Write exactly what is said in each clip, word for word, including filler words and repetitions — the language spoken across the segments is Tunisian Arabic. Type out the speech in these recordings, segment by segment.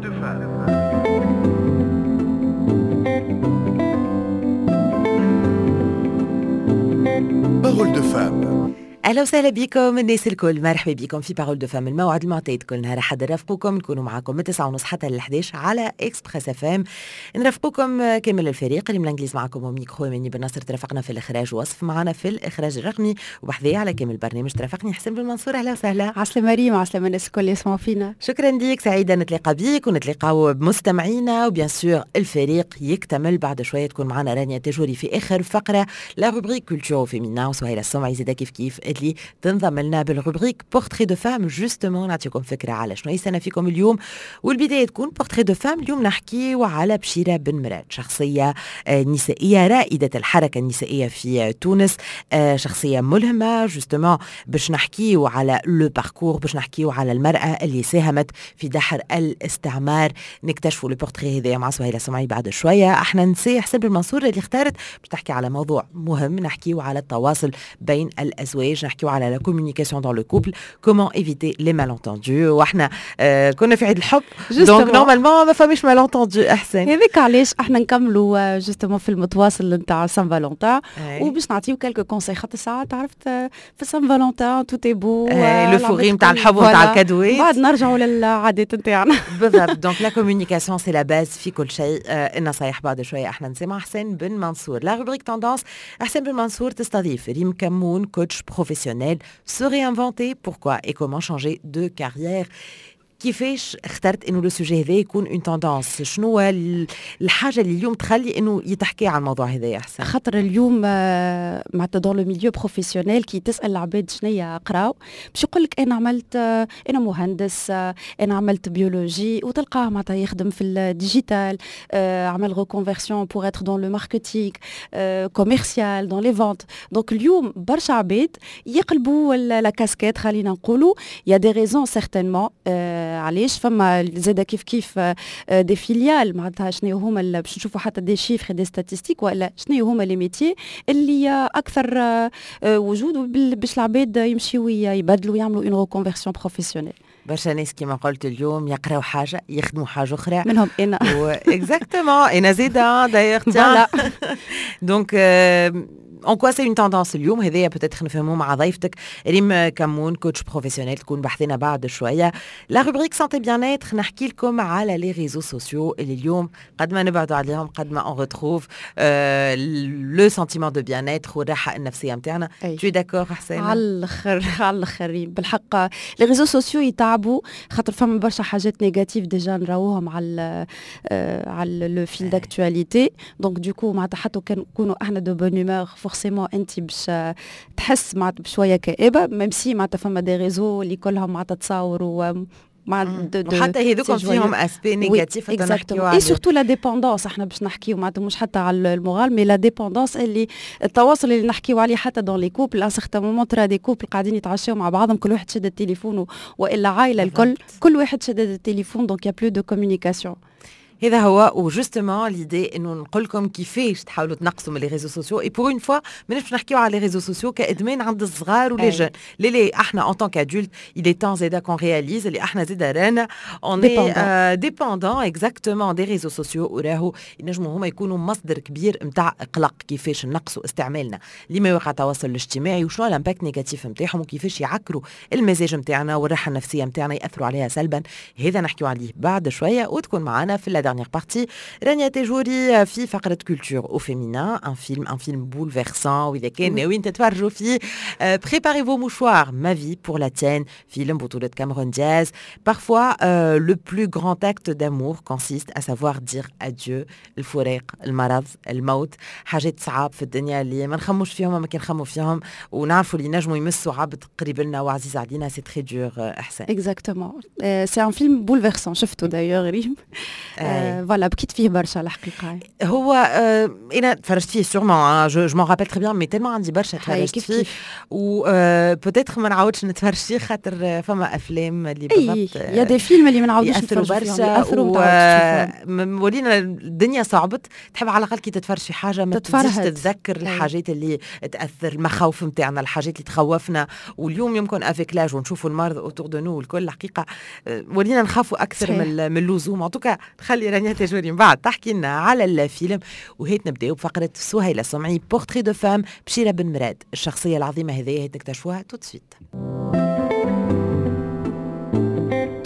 de femme. Parole de femme. اهلا وسهلا بكم الناس الكل، مرحبا بكم في Parole de femme، الموعد المعتاد كل نهار حد نرافقكم، نكونوا معاكم من تسعة ونص حتى ل الحداش على Express FM. نرافقكم كامل الفريق اللي من الانجليز معكم ميكرو مني بن ناصر، ترافقنا في الاخراج وصف معنا في الاخراج الرقمي، وبحذايا على كامل البرنامج ترافقني حسين بن منصور. اهلا وسهلا. عسلامة ريم، عسلامة الناس الكل يسمعوا فينا. شكرا ليك، سعيدة نتلاقى بيك ونتلاقاو بمستمعينا، و bien sûr الفريق يكتمل بعد شويه. تكون معنا رانيا تجوري في اخر فقره la rubrique culture féminin، وسهيله السمعي زاده كيف كيف اللي تنضم لنا بال rubrique portrait de femme. justement نعطيكم فكرة على شنو يستنى فيكم اليوم، والبداية تكون portrait de femme. اليوم نحكيو على بشيره بن مراد، شخصية نسائية رائدة الحركة النسائية في تونس، شخصية ملهمه. justement باش نحكيو على le parcours، باش نحكيو على المراة اللي ساهمت في دحر الاستعمار. نكتشفوا le portrait هذايا مع سهيلة سمعي بعد شويه. احنا نسي حسين بن منصور اللي اختارت باش تحكي على موضوع مهم، نحكيو على التواصل بين الازواج، نحكيو على la communication dans le couple، comment éviter les malentendus. واحنا آه كنا في عيد الحب، donc normalement ما فماش malentendus. احسن هذاك علاش احنا نكملوا justement في المتواصل نتاع Saint-Valentin، وباش نعطيو quelques conseils، خاطر ساعات عرفت في Saint-Valentin tout est beau، l'euphorie نتاع الحب ونتاع الكادوات، بعد نرجعوا للعادات نتاعنا. بالضبط، donc la communication c'est la base في كل شيء. آه النصايح بعد شويه. احنا نسمع حسين بن منصور. la rubrique tendance، حسين بن منصور تستضيف ريم كمون، coach professionnel، se réinventer، pourquoi et comment changer de carrière. كيفاش اخترت انه le sujet هذا يكون une tendance؟ شنو الحاجة اللي اليوم تخلي انه يتحكي على الموضوع هذا احسن؟ خاطر اليوم معناتها dans le milieu professionnel كي تسال العباد شنيا قراو باش يقول لك انا عملت، انا مهندس، انا عملت biologie، وتلقاه معناتها يخدم في ال digital، عمل reconversion pour être dans le marketing commercial، dans les ventes. donc اليوم برشا عباد يقلبوا la casquette، خلينا نقولوا y a des raisons certainement علاش. فما زاده كيف كيف des filiales، معناتها شنو هما باش نشوفوا حتى des chiffres، des statistiques، ولا شنو هما les métiers اللي اكثر وجود باش العباد يمشيو يبدلوا يعملوا une reconversion professionnelle. برشا ناس كيما قلت اليوم يقراو حاجة يخدموا حاجة اخرى، منهم انا. exactement، انا زيدا d'ailleurs. donc en quoi c'est une tendance اليوم هذايا peut-être نفهموه مع ضيفتك ريم كمون، coach professionnel، تكون بحذانا بعد شويه. la rubrique santé bien-être، نحكي لكم على les réseaux sociaux اللي اليوم قد ما نبعدوا عليهم قد ما on retrouve le sentiment de bien-être والراحة النفسية نتاعنا. tu es d'accord حسين؟ على الاخر على الاخر ريم، بالحق les réseaux sociaux يتعبوا خاطر فما برشا حاجات négatives déjà نراوهم على على le fil d'actualité. donc du coup معناتها حتى كان نكونوا احنا de bonne humeur، forcément انت باش تحس معناتها بشوية كآبه، même si معناتها فما des réseaux اللي كلهم معناتها تصاور و مع وحتى هذوك فيهم aspect négatif. et surtout la dépendance، احنا باش نحكيو معناتها مش حتى على ال moral mais la dépendance اللي التواصل اللي نحكيو عليه حتى dans les couples. à certains moments ترى des couples قاعدين يتعشاو مع بعضهم، كل واحد شد التليفون، والا عائلة الكل كل واحد شد التليفون، donc y a plus de communication. هذا هو، و justement l'idée انه نقول لكم كيفاش تحاولوا تنقصوا من les réseaux sociaux. et pour une fois ماناش باش نحكيو على les réseaux sociaux كادمان عند الصغار و les jeunes، لا لا، احنا en tant qu'adultes il est temps زادا qu'on réalise اللي احنا زادا رانا on est dépendants exactement des réseaux sociaux، وراهو ينجموا هما يكونوا مصدر كبير نتاع قلق. كيفاش نقصوا استعمالنا لمواقع التواصل الاجتماعي، وشنو l'impact négatif نتاعهم، وكيفاش يعكروا المزاج نتاعنا والراحة النفسية نتاعنا، ياثروا عليها سلبا، هذا نحكيو عليه بعد شويه. وتكون معنا في la dernière partie رانيا تجوري في فقرة culture au féminin، un film un film bouleversant، وإذا كان ناويين تتفرجوا فيه préparez vos mouchoirs، Ma vie pour la tienne، فيلم بطولة كاميرون دياز. parfois euh, le plus grand acte d'amour consiste à savoir dire adieu. الفراق، المرض، الموت، حاجات صعاب في الدنيا اللي ما نخموش فيهم، ما كي نخمو فيهم ونعرفوا اللي نجموا يمسوا عبد قريب لنا وعزيز علينا، c'est très dur احسن. exactement، c'est un film bouleversant، شفته d'ailleurs ريم. voilà، بكيت فيه برشا الحقيقه. هو آه انا تفرجت فيه sûrement، je m'en rappelle très bien، mais tellement عندي برشا تفرجت فيه و peut-être ما نعاودش نتفرج فيه، خاطر فما افلام اللي بالضبط y a des films اللي ما نعاودوش ياثروا برشا، ولينا الدنيا صعبت، تحب على الاقل كي تتفرج في حاجة ما تزيدش تتذكر الحاجات اللي تاثر، المخاوف نتاعنا، الحاجات اللي تخوفنا. واليوم يمكن avec l'âge ونشوفوا المرض autour de nous والكل، الحقيقة ولينا نخافوا اكثر من من اللزوم. en tout cas خلي رانيا تجوري من بعد تحكي لنا على الفيلم، وهيت نبداو بفقره سهيلة سمعي، portrait de femme، بشيره بن مراد، الشخصية العظيمة هذه هي تكتشفوها tout de suite.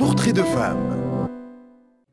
portrait de femme.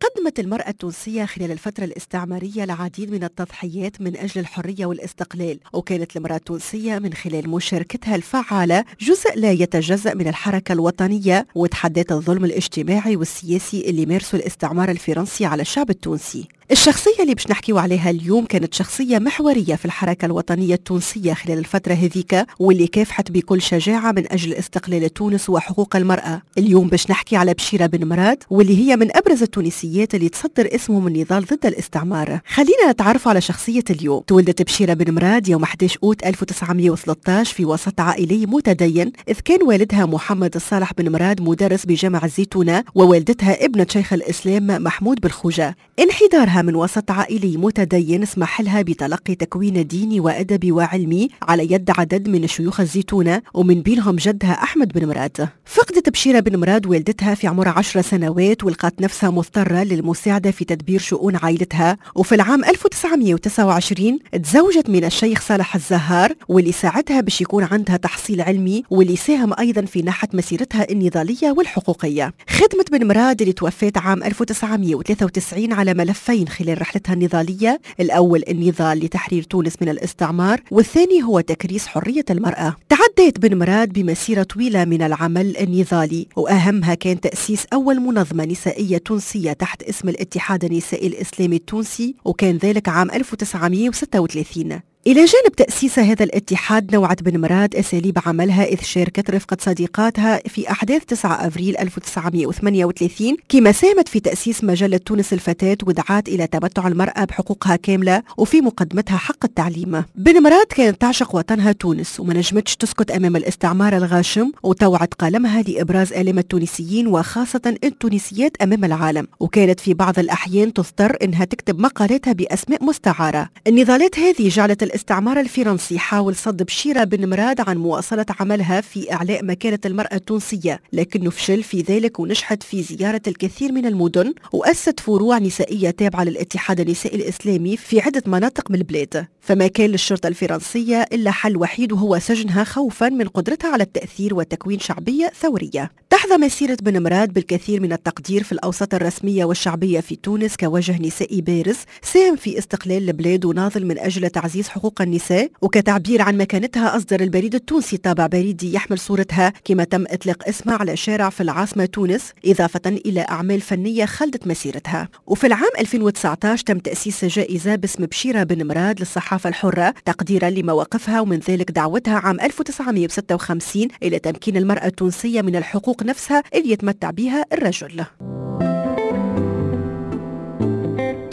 قدمت المرأة التونسية خلال الفترة الاستعمارية العديد من التضحيات من أجل الحرية والاستقلال، وكانت المرأة التونسية من خلال مشاركتها الفعالة جزء لا يتجزأ من الحركة الوطنية، وتحدت الظلم الاجتماعي والسياسي اللي مارسه الاستعمار الفرنسي على الشعب التونسي. الشخصية اللي باش نحكيو عليها اليوم كانت شخصية محورية في الحركة الوطنية التونسية خلال الفترة هذيك، واللي كافحت بكل شجاعة من أجل استقلال تونس وحقوق المرأة. اليوم باش نحكي على بشيرة بن مراد، واللي هي من أبرز التونسيات اللي تصدر اسمهم النضال ضد الاستعمار. خلينا نتعرف على شخصية اليوم. تولدت بشيرة بن مراد يوم أحد عشر أوت ألف وتسعمائة وثلاثة عشر في وسط عائلي متدين، إذ كان والدها محمد الصالح بن مراد مدرس بجامع الزيتونة، ووالدتها ابنة شيخ الإسلام محمود بالخوجة. انحدارها من وسط عائلي متدين سمح لها بتلقي تكوين ديني وأدبي وعلمي على يد عدد من شيوخ الزيتونة، ومن بينهم جدها أحمد بن مراد. فقدت بشيرة بن مراد والدتها في عمر عشر سنوات، ولقت نفسها مضطرة للمساعدة في تدبير شؤون عائلتها. وفي العام ألف وتسعمائة وتسعة وعشرين تزوجت من الشيخ صالح الزهار، واللي ساعدها باش يكون عندها تحصيل علمي، واللي ساهم أيضا في نحت مسيرتها النضالية والحقوقية. خدمت بن مراد اللي توفت عام ألف وتسعمائة وثلاثة وتسعين على ملفين خلال رحلتها النضالية، الأول النضال لتحرير تونس من الاستعمار، والثاني هو تكريس حرية المرأة. تعديت بن مراد بمسيرة طويلة من العمل النضالي، وأهمها كان تأسيس أول منظمة نسائية تونسية تحت اسم الاتحاد النسائي الإسلامي التونسي، وكان ذلك عام ألف وتسعمائة وستة وثلاثين. إلى جانب تأسيس هذا الاتحاد، نوعت بن مراد أساليب عملها، إذ شاركت رفقة صديقاتها في أحداث تسعة أفريل ألف وتسعمائة وثمانية وثلاثين، كما ساهمت في تأسيس مجلة تونس الفتاة، ودعت إلى تمتع المرأة بحقوقها كاملة وفي مقدمتها حق التعليم. بن مراد كانت تعشق وطنها تونس، وما نجمتش تسكت أمام الاستعمار الغاشم، وطوعت قلمها لإبراز آلام التونسيين وخاصة التونسيات أمام العالم، وكانت في بعض الأحيان تضطر إنها تكتب مقالاتها بأسماء مستعارة. النضالات هذه جعلت الاستعمار الفرنسي حاول صد بشيرة بن مراد عن مواصلة عملها في إعلاء مكانة المرأة التونسية، لكنه فشل في ذلك، ونجحت في زيارة الكثير من المدن، وأسست فروع نسائية تابعة للاتحاد النسائي الإسلامي في عدة مناطق من البلاد. فما كان للشرطة الفرنسية إلا حل وحيد، وهو سجنها خوفا من قدرتها على التأثير وتكوين شعبية ثورية. تحظى مسيرة بن مراد بالكثير من التقدير في الأوساط الرسمية والشعبية في تونس كوجه نسائي بارز ساهم في استقلال البلاد وناضل من أجل تعزيز حقوق النساء. وكتعبير عن مكانتها أصدر البريد التونسي طابع بريدي يحمل صورتها، كما تم إطلاق اسمها على شارع في العاصمة تونس، إضافة إلى أعمال فنية خلدت مسيرتها. وفي العام ألفين وتسعة عشر تم تأسيس جائزة باسم بشيرة بن مراد للصحافة الحرة تقديرا لمواقفها، ومن ذلك دعوتها عام ألف وتسعمائة وستة وخمسين إلى تمكين المرأة التونسية من الحقوق نفسها اللي يتمتع بها الرجل.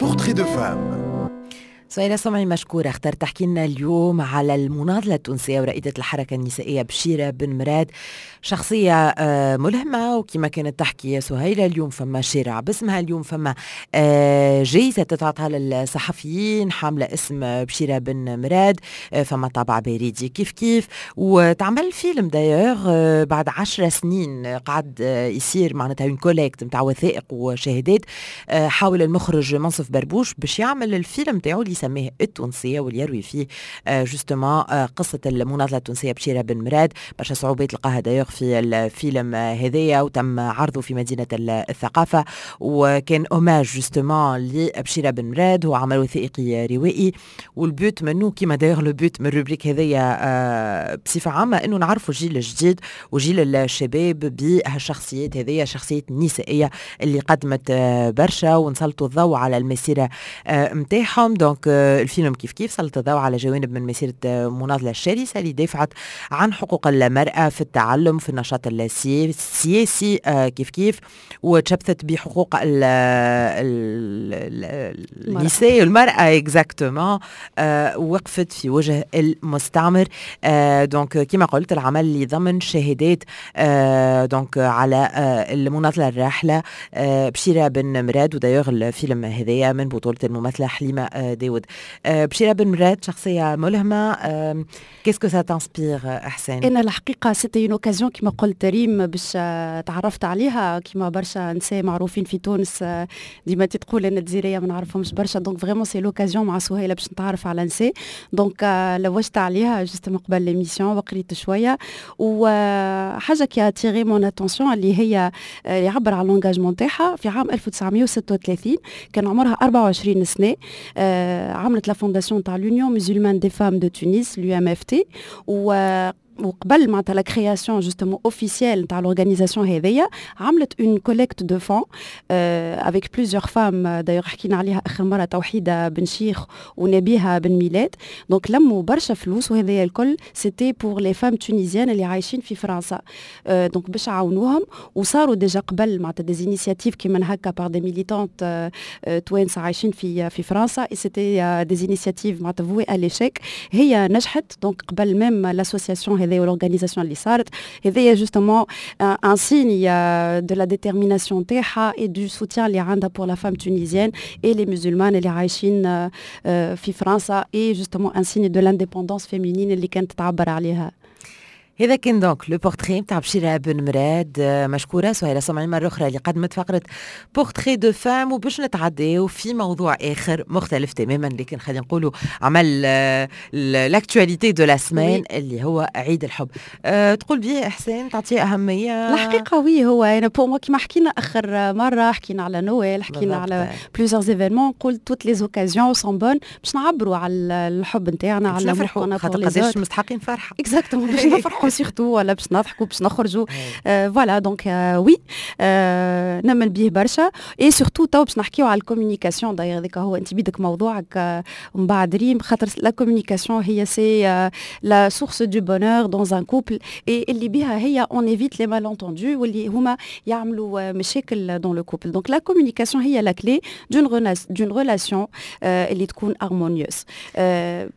Portrait de femme. سهيلة سمعي مشكورة، اخترت تحكي لنا اليوم على المناضلة التونسية ورائدة الحركة النسائية بشيرة بن مراد، شخصية ملهمة. وكما كانت تحكي سهيلة اليوم فما شارع باسمها، اليوم فما جائزة تتعطى للصحفيين حاملة اسم بشيرة بن مراد، فما طابع بريدي كيف كيف، وتعمل فيلم d'ailleurs بعد عشر سنين قعد يصير معناتها une collecte نتاع وثائق وشهادات. حاول المخرج منصف بربوش باش يعمل الفيلم تاعو اللي يسميه التونسية، واللي يروي فيه justement قصة المناضلة التونسية بشيرة بن مراد. برشا صعوبات لقاها d'ailleurs في الفيلم هذايا، وتم عرضه في مدينة الثقافة، وكان hommage justement لبشيرة بن مراد. هو عمل وثائقي روائي، وال but منه كيما d'ailleurs le but من ال rubrique هذايا بصفة عامة انه نعرفوا الجيل الجديد وجيل الشباب بهالشخصيات هذيا، شخصيات نسائية اللي قدمت برشا، ونسلطوا الضوء على المسيرة نتاعهم. donc الفيلم كيف كيف سلط الضوء على جوانب من مسيره مناضله الشرسة اللي دافعت عن حقوق المراة في التعلم، في النشاط السياسي كيف كيف، وتشبثت بحقوق النساء والمراة exactement، وقفت في وجه المستعمر. donc كما قلت العمل اللي ضمن شهادات donc على المناضلة الراحلة بشيره بن مراد، و d'ailleurs الفيلم هذايا من بطوله الممثلة حليمة داود. بشيره بن مراد شخصية ملهمه، qu'est-ce que ça t'inspire احسان؟ انا الحقيقة c'était une occasion كما قلت ريم باش تعرفت عليها، كما برشا نساء معروفين في تونس ديما تقول انا الجزيريه ما نعرفهمش برشا، donc vraiment c'est l'occasion مع سهيلة باش نتعرف على نساء. donc لوجت عليها justement قبل l'émission وقريت شويه، وحاجه qui a attiré mon attention اللي هي يعبر على l'engagement تاعها. في عام ألف وتسعمية وستة وثلاثين كان عمرها أربعة وعشرين سنه، عملت la fondation تاع l'Union musulmane des femmes de Tunis، l'UMFT، و وقبل معناتها la création justement officielle تاع l'organisation هذيا عملت une collecte de fonds avec plusieurs femmes، d'ailleurs حكينا عليها اخر مرة توحيده بن شيخ ونبيها بن ميلاد. donc لموا برشا فلوس، وهذايا الكل c'était pour les femmes tunisiennes اللي عايشين في فرنسا، donc باش عاونوهم. وصاروا déjà قبل معناتها des initiatives كيما هكا par des militantes توانسة عايشين في في فرنسا، et c'était des initiatives معناتها vouées à l'échec. هي نجحت donc قبل même l'association هذايا l'organisation اللي صارت هذايا، justement un signe de la détermination تاعها et du soutien اللي عندها pour la femme tunisienne et les musulmanes اللي عايشين في فرنسا، et justement un signe de l'indépendance féminine اللي كانت تعبر عليها. هذا كان donc le portrait نتاع بشيرة بن مراد. مشكورة سهيلة سمعي مرة أخرى اللي قدمت فقرة portrait de femme. وباش نتعداو في موضوع آخر مختلف تماما، لكن خلينا نقولوا عمل l'actualité de la semaine اللي هو عيد الحب. أه تقول بيه إحسان تعطيه أهمية؟ الحقيقة oui، هو أنا pour moi كيما حكينا آخر مرة، حكينا على نويل، حكينا على plusieurs événements، قلت toutes les occasions sont bonnes باش نعبروا على الحب نتاعنا، على نفرحوا، خاطر قداش مستحقين فرحة. exactement، باش نفرحوا surtout ولا باش نضحكوا، باش نخرجوا، voilà. donc oui، نمن بيه برشا، et surtout تو باش نحكيو على ال communication. d'ailleurs هذاك هو انت بيدك موضوعك ومن بعد ريم، خاطر la communication هي c'est la source du bonheur dans un couple، et اللي بها هي on évite les malentendus واللي هما يعملوا مشاكل dans le couple. donc la communication هي la clé d'une d'une relation اللي تكون harmonieuse.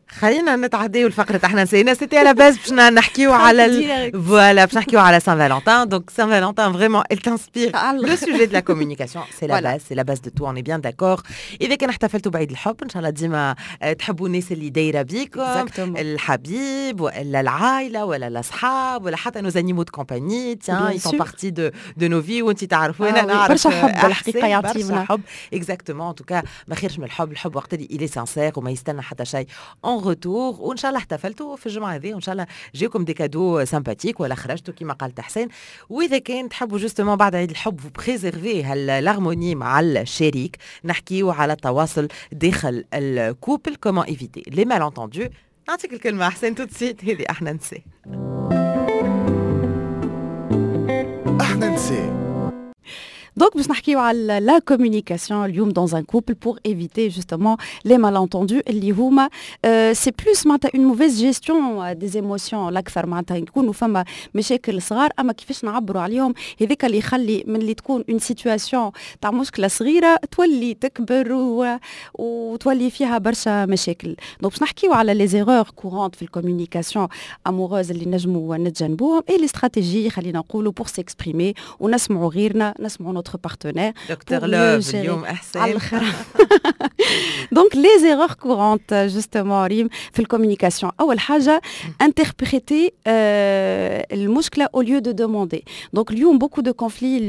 خلينا نتعداو لفقره احنا نسينا، c'était à la base باش نحكيو على voilà، باش نحكيو على Saint-Valentin. donc Saint-Valentin vraiment elle t'inspire le sujet de la communication، c'est la base، c'est la base de tout، on est bien d'accord. اذا كان احتفلتوا بعيد الحب، ان شاء الله ديما تحبوا الناس اللي دايرة بيكم، الحبيب والا العائلة ولا الاصحاب ولا حتى nos animaux de compagnie، tiens، ils font partie de de nos vies. وانت تعرفوا انا نعرف برشا حب الحقيقة يعطينا. برشا حب، exactement. en tout cas ما خيرش من الحب، الحب وقت اللي il est sincère وما يستنى حتى شيء en retour. وان شاء الله احتفلتوا في الجمعة هذه، وان شاء الله جاكم des cadeaux sympathiques ولا خرجتوا كما قالت حسين. واذا كان تحبوا justement بعد عيد الحب vous préservez l'harmonie مع الشريك، نحكيو على التواصل داخل ال couple، comment éviter les malentendus. نعطيك الكلمة احسن tout de suite. هذه احنا نسي. احنا نسي. donc باش نحكيو على la communication اليوم dans un couple pour éviter justement les malentendus اللي هما c'est plus معناتها une mauvaise gestion des émotions الاكثر، معناتها يكونوا فما مشاكل صغار اما كيفاش نعبروا عليهم، هذاك اللي يخلي من اللي تكون une situation تاع مشكلة صغيرة تولي تكبر و... وتولي فيها برشا مشاكل. donc باش نحكيو على les erreurs courantes في ال communication amoureuse اللي نجموا نتجنبوهم، et les stratégies خلينا نقولوا pour s'exprimer ونسمعوا غيرنا، نسمعوا notre partenaire. Docteur Love اليوم احسن. على الاخر. donc les erreurs courantes justement ريم في ال communication، اول حاجة interpréter المشكلة au lieu de demander. donc اليوم beaucoup de conflits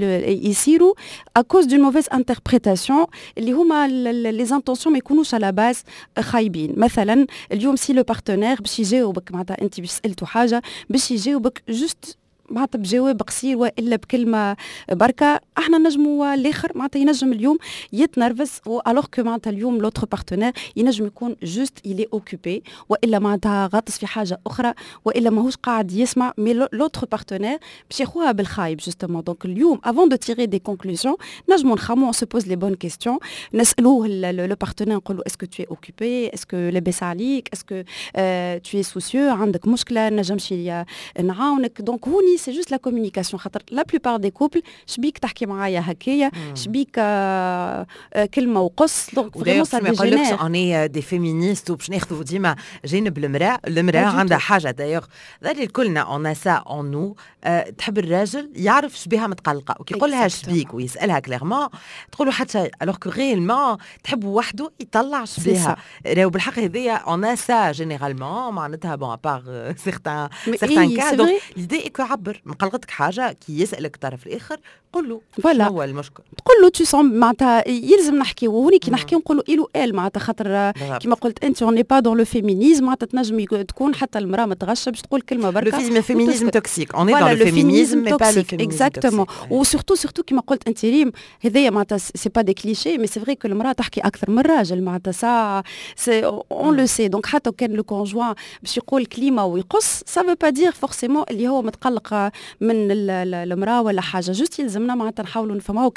يصيروا à cause d'une mauvaise interprétation، اللي هما les intentions ما يكونوش à la base خايبين. مثلا اليوم si le partenaire باش يجاوبك، معناتها انت باش سالته حاجة باش يجاوبك juste معناتها بجواب قصير والا بكلمه بركه، احنا نجموا الاخر معناتها ينجم اليوم يتنرفز، alors que معناتها اليوم l'autre partenaire ينجم يكون juste il est occupé والا معناتها غاطس في حاجة اخرى والا ماهوش قاعد يسمع، mais l'autre partenaire باش ياخوها بالخايب justement. donc اليوم avant de tirer des conclusions نجموا نخمو، on se pose les bonnes questions، نسالوه le partenaire، نقولوا est-ce que tu es occupé؟ est-ce que لاباس عليك؟ est-ce que tu es soucieux؟ عندك مشكله؟ نجمش نعاونك؟ donc هوني c'est juste la communication، خاطر la plupart des couples شبيك تحكي معايا هكايا؟ شبيك آه كلمة وقص؟ donc vraiment ça dégénère. on est des féministes وباش ناخذوا ديما جانب المراه. المراة عندها حاجة d'ailleurs ذلك الكلنا on a ça en nous، تحب الراجل يعرف شبيها متقلقه، وكي يقول لها شبيك ويسالها clairement تقول له حتى شيء، alors que réellement تحب وحده يطلع شبيها. راهو بالحق هذيا on a ça généralement، معناتها bon، à part certains certains cas. donc l'idée est que عبر، مقلقتك حاجه، كي يسالك الطرف الاخر قول له voilà هو المشكل. تقول له tu sens معناتها يلزم نحكي، وهوني كي نحكي نقولوا il ou elle، معناتها خاطر كيما قلت انت on n'est pas dans le féminisme، معناتها تنجم تكون حتى المراة متغشه باش تقول كلمة بركه. le féminisme toxique، on est dans le féminisme mais pas le féminisme. exactement، و surtout surtout كيما قلت انت ريم، هذايا معناتها c'est pas des clichés، mais c'est vrai que المراة تحكي اكثر من الراجل، معناتها ça c'est on le sait. donc حتى كان le conjoint باش يقول كلمة ويقص، ça veut pas dire forcément اللي هو متقلق من المراة ولا حاجه. juste يلزمنا معناتها نحاولوا نفهموا.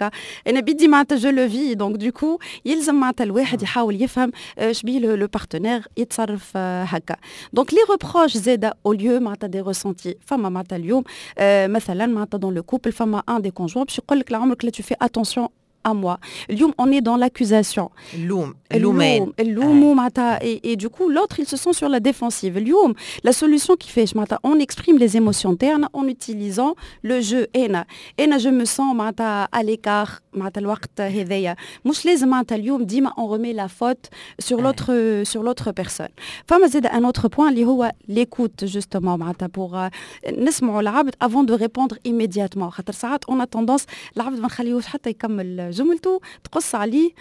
انا بيدي معناتها je le vis، donc du coup يلزم معناتها الواحد يحاول يفهم شبيه le partenaire يتصرف هكا. donc les reproches زاده au lieu معناتها des ressentis. فما معناتها اليوم مثلا معناتها dans le couple فما un des conjoints باش يقول لك لعمرك لا tu fais attention à moi. اليوم on est dans l'accusation. اللوم، اللومان. اللوم معناتها et, et du coup l'autre il se sent sur la défensive. اليوم la solution كيفاش؟ معناتها on exprime les émotions تاعنا en utilisant le je. انا انا je me sens معناتها à l'écart معناتها الوقت هذايا. مش لازم معناتها اليوم ديما on remet la faute sur l'autre sur l'autre personne. فما زاد un autre point اللي هو l'écoute justement، معناتها pour نسمعوا العبد avant de répondre immédiatement، خاطر ساعات on a tendance العبد ما نخليوش حتى يكمل جملته، تقص عليه،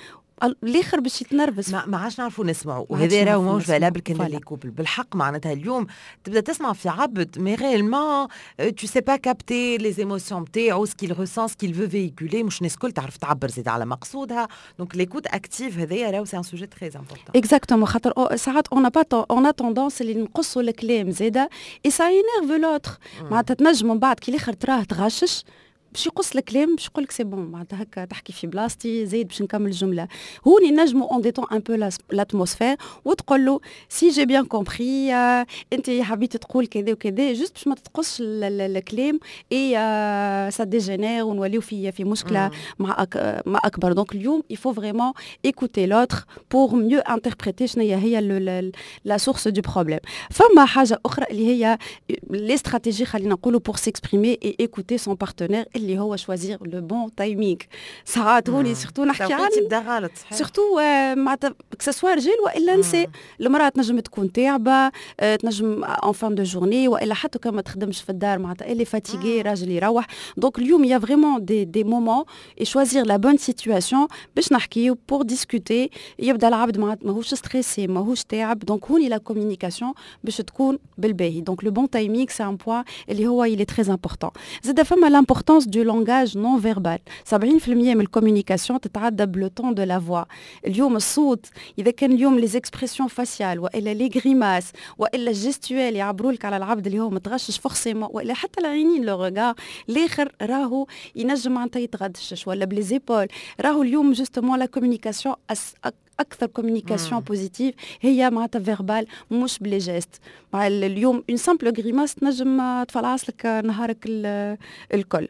الاخر باش يتنرفز. ما, ما عادش نعرفوا نسمعوا، وهذا راهو ماهوش valable كان les couples. بالحق معناتها اليوم تبدا تسمع في عبد mais réellement tu sais pas capter les émotions نتاعو، ce qu'il ressent، ce qu'il veut véhiculer. مش الناس الكل تعرف تعبر زيد على مقصودها، donc l'écoute active هذايا راهو c'est un sujet très important. exactement، خاطر ساعات on pas on a tendance اللي نقصوا الكلام زاده et ça énerve l'autre. معناتها تنجم من بعد كي الاخر تراه تغشش باش يقص الكلام، باش يقول لك c'est bon، معناتها هكا تحكي في بلاصتي، زايد باش نكمل الجمله. هوني نجمو on détend un peu l'atmosphère وتقول له si j'ai bien compris انت حبيت تقول كذا وكذا، juste باش ما تقصش الكلام et ça dégénère ونوليو في في مشكلة مع أك مع اكبر. donc اليوم il faut vraiment écouter l'autre pour mieux interpréter شنو هي la source du problème. فما حاجة اخرى اللي هي les stratégies خلينا نقولوا pour s'exprimer et écouter son partenaire، اللي هو choisir le bon timing. ساعات هوني surtout نحكي على تبدا غلط. surtout معناتها que ce soit رجال والا نساء، المراة تنجم تكون تعبه، تنجم en fin de journée والا حتى كان ما تخدمش في الدار، معناتها elle est fatiguée، راجل يروح. donc اليوم y a vraiment des des moments et choisir la bonne situation باش نحكيو، pour discuter، يبدا العبد ماهوش stressé، ماهوش تعب. donc هوني la communication باش تكون بالباهي. donc le bon timing c'est un point اللي هو il est très important. زاد فما l'importance du langage non verbal. سبعين في المية من ال communication تتعدى ب le ton de la voix. اليوم الصوت، اذا كان اليوم les expressions faciales والا les grimaces والا ال gestuelle يعبروا لك على العبد اللي هو متغشش forcément، والا حتى العينين، le regard، الاخر راهو ينجم معناتها يتغشش، ولا ب les épaules. راهو اليوم justement la communication، اكثر communication positive هي معناتها verbale مش ب les gestes. مع اليوم une simple grimace تنجم تفلعص لك نهارك الكل.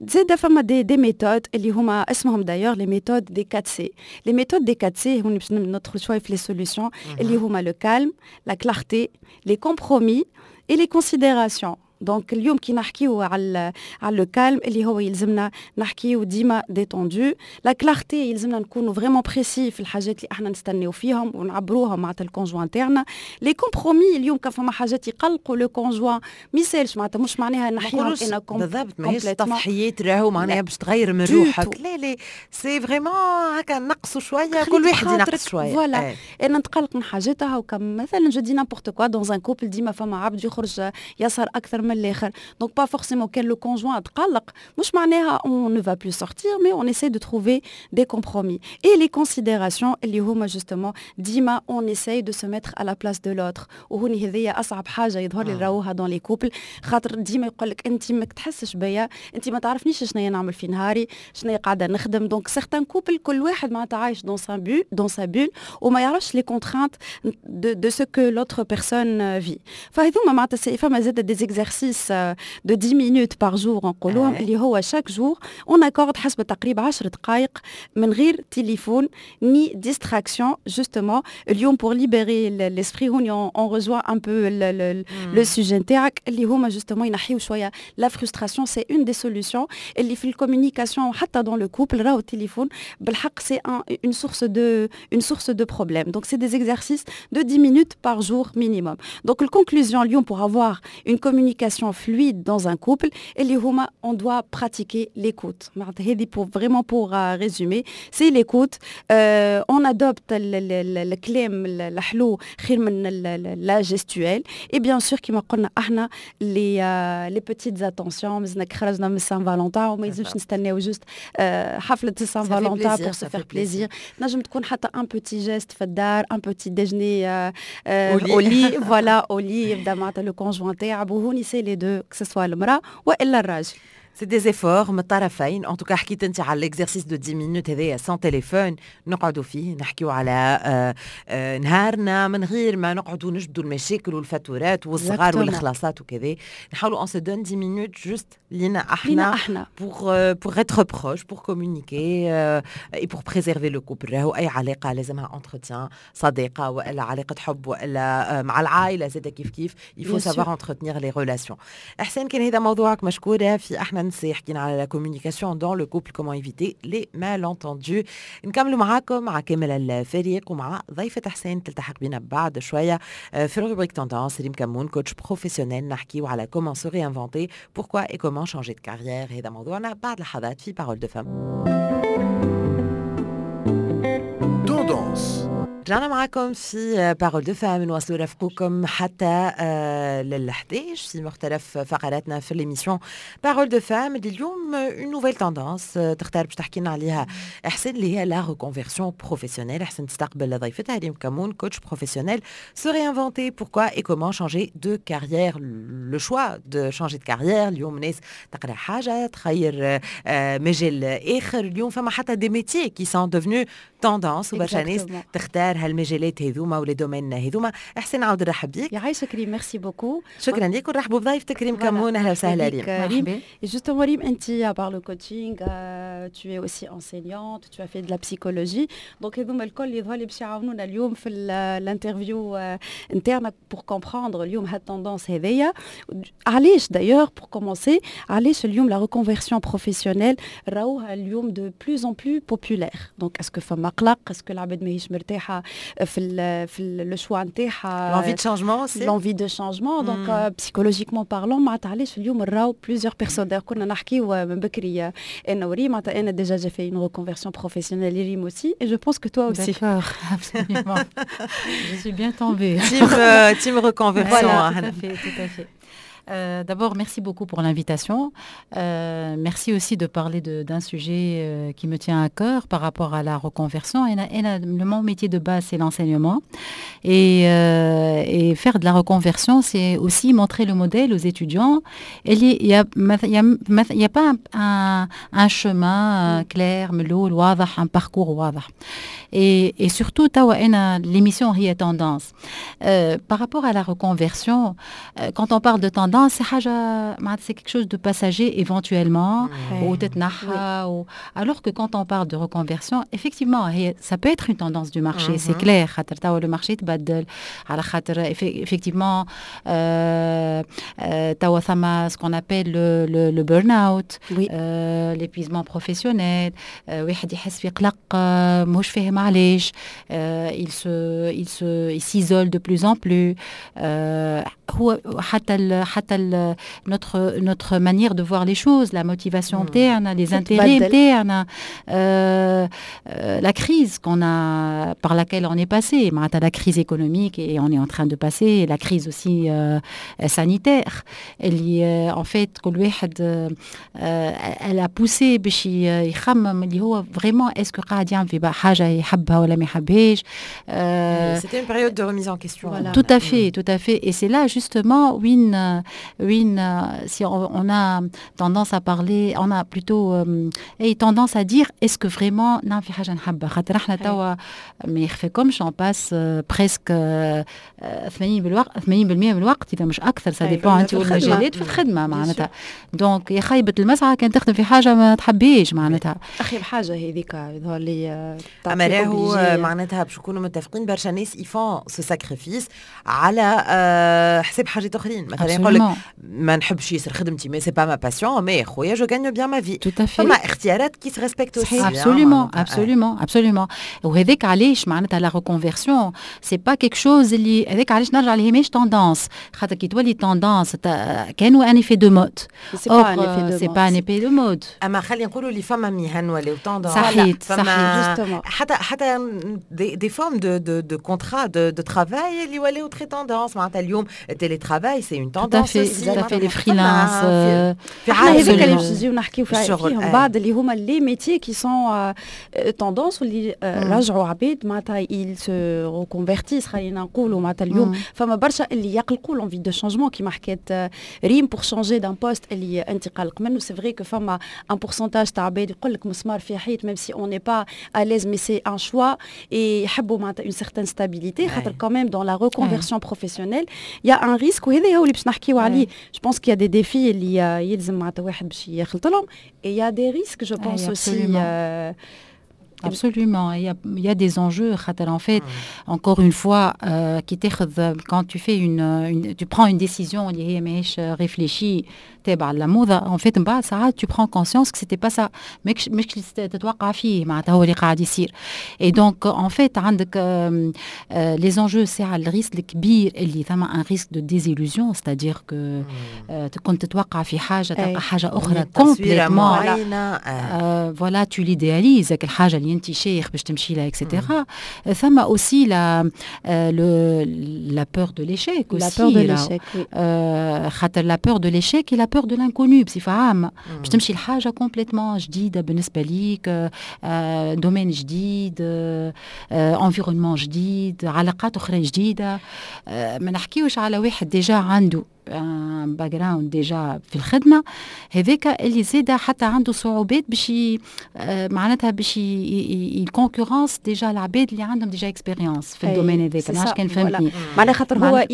زاد فما des des méthodes اللي هما اسمهم d'ailleurs les méthodes des quatre C. les méthodes des quatre C، هوني باش ندخل شوية في les solutions، اللي هما le calme، la clarté، les compromis et les considérations. donc اليوم كي نحكيو على على le calme، اللي هو يلزمنا نحكيو ديما détendu. la clarté، يلزمنا نكونوا vraiment précis في الحاجات اللي احنا نستناو فيهم ونعبروها مع ال conjoint تاعنا. les compromis، اليوم كان فما حاجات يقلقوا le conjoint ما يسالش، معناتها مش معناها نحيهم انا. بالضبط، ماهيش تضحيات راهو معناها باش تغير من روحك، لا لا، c'est vraiment هكا نقصوا شويه، كل واحد ينقص شويه. voilà، انا نتقلق من حاجاتها وكم مثلا je dis n'importe quoi، dans un couple ديما فما عبد يخرج يسهر اكثر من من الاخر. Donc pas forcément كان le conjoint تقلق مش معناها on ne va plus sortir, mais on essaie de trouver des compromis. Et les considérations اللي هما justement ديما on essaye de se mettre à la place de l'autre. وهوني هذيا اصعب حاجة يظهر لي نراوها dans les couples، خاطر ديما يقول لك انت ما تحسش بيا، انت ما تعرفنيش شنو نعمل في نهاري، شنو قاعدة نخدم. Donc certains couples كل واحد معناتها عايش dans sa bulle dans sa bulle وما يعرفش les contraintes de de ce que l'autre personne vit. فهذوما معناتها فما زاد des exercices de dix minutes par jour نقولوهم، اللي هو chaque jour on accorde حسب تقريب عشر دقائق من غير téléphone ni distraction, justement اليوم pour libérer l'esprit. هوني on rejoint un peu le sujet نتاعك، اللي هما justement ينحيو شوية la frustration. C'est une des solutions اللي في ال communication حتى dans le couple. راهو التليفون بالحق c'est une source de une source de problème. Donc c'est des exercices de dix minutes par jour minimum. Donc la conclusion اليوم, pour avoir une communication fluide dans un couple, اللي هما on doit pratiquer l'écoute. هذه pour vraiment pour résumer, c'est l'écoute. euh, on adopte الكلام الحلو خير من la gestuelle et bien sûr كيما قلنا احنا les les petites attentions. مازلنا خرجنا من Saint-Valentin وما يلزمش نستناو juste حفلة Saint-Valentin pour se faire plaisir. تنجم تكون حتى un petit geste في الدار, un petit déjeuner au lit, voilà, au lit يبدا معناتها le conjoint تاعب. وهوني c'est les deux, que ce soit المراة والا الراجل. C'est des efforts من الطرفين. En tout cas حكيت انت على l'exercice de dix minutes هذايا sans téléphone، نقعدوا فيه نحكيو على آه آه نهارنا من غير ما نقعدوا نجبدوا المشاكل والفاتورات والصغار والخلاصات وكذا. نحاولوا on se donne dix minutes juste لينا احنا لينا احنا pour pour être proche, pour communiquer et pour préserver le couple. راهو اي علاقة لازمها entretien، صديقه والا علاقة حب والا مع العائلة زاد كيف كيف, il faut savoir entretenir les relations. احسان، كان هذا موضوعك، مشكورة في احنا نسي. حكينا على la communication dans le couple, comment éviter les malentendus. نكملوا معاكم مع كامل الفريق ومع ضيفة حسين تلتحق بنا بعد شوية في rubrique tendance، ريم كمون, coach professionnel. نحكيو على comment se réinventer, pourquoi et comment changer de carrière. هذا موضوعنا بعد لحظات في Parole de Femmes. Tendance. رجعنا معكم في Parole de Femmes، نواصلوا رفقكم حتى لل حداش في مختلف فقراتنا في l'émission Parole de Femmes. اليوم une nouvelle tendance تختار باش تحكي لنا عليها احسن، اللي هي la reconversion professionnelle. احسن تستقبل ضيفتها ريم كمون, coach professionnel. Se réinventer, pourquoi et comment changer de carrière, le choix de changer de carrière. اليوم ناس تقرا حاجة تخير مجال اخر. اليوم فما حتى des métiers qui sont devenus tendance وبرشا ناس تختار هالمجالات هذوما و les domaines هذوما. احسن، نعاود نرحب بيك. يعيشك ريم، merci beaucoup. شكرا لك ونرحبوا بضيفتك ريم كمون. اهلا وسهلا ريم. ريم, justement ريم، انت à part le coaching, tu es aussi enseignante, tu as fait de la psychologie, donc هذوما الكل يظهر لي باش يعاونونا اليوم في l'interview نتاعنا pour comprendre اليوم هاد tendance هذيا علاش. D'ailleurs, pour commencer, علاش اليوم la reconversion professionnelle راوها اليوم de plus en plus populaire? Donc est-ce que فما قلق? Est-ce que العباد ماهيش مرتاحة في ال في le choix نتاعها? L'envie de changement aussi. L'envie de changement. Donc psychologiquement parlant, معناتها علاش اليوم نراو plusieurs personnes? كنا نحكيو من بكري انا وريم، معناتها انا déjà j'ai fait une reconversion professionnelle, ريم aussi, et je pense que toi aussi. D'accord, absolument. Je suis bien tombée. Team, euh, team reconversion. Voilà, tout à fait, tout à fait. Euh, D'abord, merci beaucoup pour l'invitation. Euh, merci aussi de parler d'un sujet euh, qui me tient à cœur par rapport à la reconversion. Et, et le, mon métier de base, c'est l'enseignement. Et, euh, et, faire de la reconversion, c'est aussi montrer le modèle aux étudiants. Il n'y a, y a, y a pas un, un, un chemin clair, ملول, واضح, un parcours واضح. Et, et surtout, l'émission هي tendance. Euh, par rapport à la reconversion, euh, quand on parle de tendance, c'est c'est quelque chose de passager éventuellement ou ou alors que quand on parle de reconversion, effectivement ça peut être une tendance du marché, c'est clair, خاطر توا le marché تبدل على خاطر effectivement توا ثما ce qu'on appelle le, le, le burn-out, oui. euh, l'épuisement professionnel، واحد يحس في قلق، مش فاهم. علاش il se il se il s'isole de plus en plus. هو حتى ال حتى ال notre notre manière de voir les choses, la motivation نتاعنا, les intérêts نتاعنا, la crise qu'on a par laquelle on est passé, معناتها la crise économique et on est en train de passer la crise aussi euh, sanitaire اللي en fait كل واحد elle a poussé باش يخمم اللي هو vraiment est-ce que قاعد يعمل في حاجة يحبها ولا ما يحبهاش. C'était une période de remise en question. Voilà. Tout à fait, tout à fait. Et c'est là justement وين وين si on, on a tendance à parler, on a plutôt euh, et tendance à dire est-ce que vraiment نعمل في حاجة نحبها, خاطر احنا توا ما يخفيكمش on passe presque ثمانين بالوقت ثمانين بالمية من الوقت اذا مش اكثر, ça dépend انت والمجالات, في الخدمة معناتها. donc يا خيبه المسعى كان تخدم في حاجة ما تحبيش معناتها. اخيب حاجة هذيك يظهر لي. اما راهو معناتها باش نكونوا متفقين, برشا ناس ils font ce sacrifice على حساب حاجات اخرين. مثلا يقول لك ما نحبش ياسر خدمتي mais c'est pas ma passion, mais خويا je gagne bien ma vie. Tout à fait. فما اختيارات qui se respectent aussi. Absolument, absolument, absolument. وهذاك علاش معناتها la reconversion c'est pas quelque chose اللي, هذاك علاش نرجع اللي هي ماهيش tendance, خاطر كي تولي tendance كانوا un effet de mode. C'est pas un effet de mode. اما خلينا نقولوا اللي فما مهن ولاو tendance. صحيت صحيت. حتى حتى des, des formes de de de contrats de de travail اللي ولاو très tendance. معناتها اليوم ال télétravail c'est une tendance. Tout à fait, les freelances. في هذاك اللي باش نجيو نحكيو فيهم بعد, اللي هما les métiers qui sont tendance واللي رجعوا عباد معناتها ils se reconvertissent. خلينا نقولوا معناتها اليوم فما برشا اللي يقلقوا l'envie de changement كيما حكيت ريم, pour changer d'un poste اللي انت قلق منه. C'est vrai que فما un pourcentage تاع عباد يقول لك مسمار في حيط, même si on n'est pas à l'aise, mais c'est un choix, et يحبوا معناتها une certaine stabilité, خاطر quand même dans la reconversion professionnelle il y a un risque, وهذا هو اللي باش نحكيو عليه. Je pense qu'il y a des défis اللي يلزم معناتها واحد باش يخلط لهم et il y a des risques, je pense aussi. Absolument. Il y a, il y a des enjeux. En fait, encore une fois, euh, كي quand tu fais une, une, tu prends une décision اللي هي ماهيش réfléchie تابعة للموضة, en fait من بعد ساعات tu prends conscience que c'était pas ça, ماكش مش تتوقع فيه معناتها هو اللي قاعد يصير. Et donc en fait عندك les enjeux, ساعة ال risque الكبير اللي ثم un risque de désillusion, c'est-à-dire que كنت تتوقع في حاجة تلقى حاجة أخرى complètement. Voilà, tu l'idéalises الحاجة اللي انت شيخ باش تمشي لها et cetera. ثم aussi la la peur de l'échec. La peur de l'échec. خاطر la peur de l'échec et la peur de l'inconnu بصفة عامة, باش تمشي لحاجة complètement جديدة بالنسبة ليك, domaine جديد, environnement جديد, علاقات أخرى جديدة. ما نحكيوش على واحد déjà عنده background déjà في الخدمة, هذاك اللي زاد حتى عنده صعوبات باش معناتها باش ي concurrence déjà العباد اللي عندهم déjà expérience في ال domaine هذاك. ما عرفتش كان فهمتني. معناها خاطر هو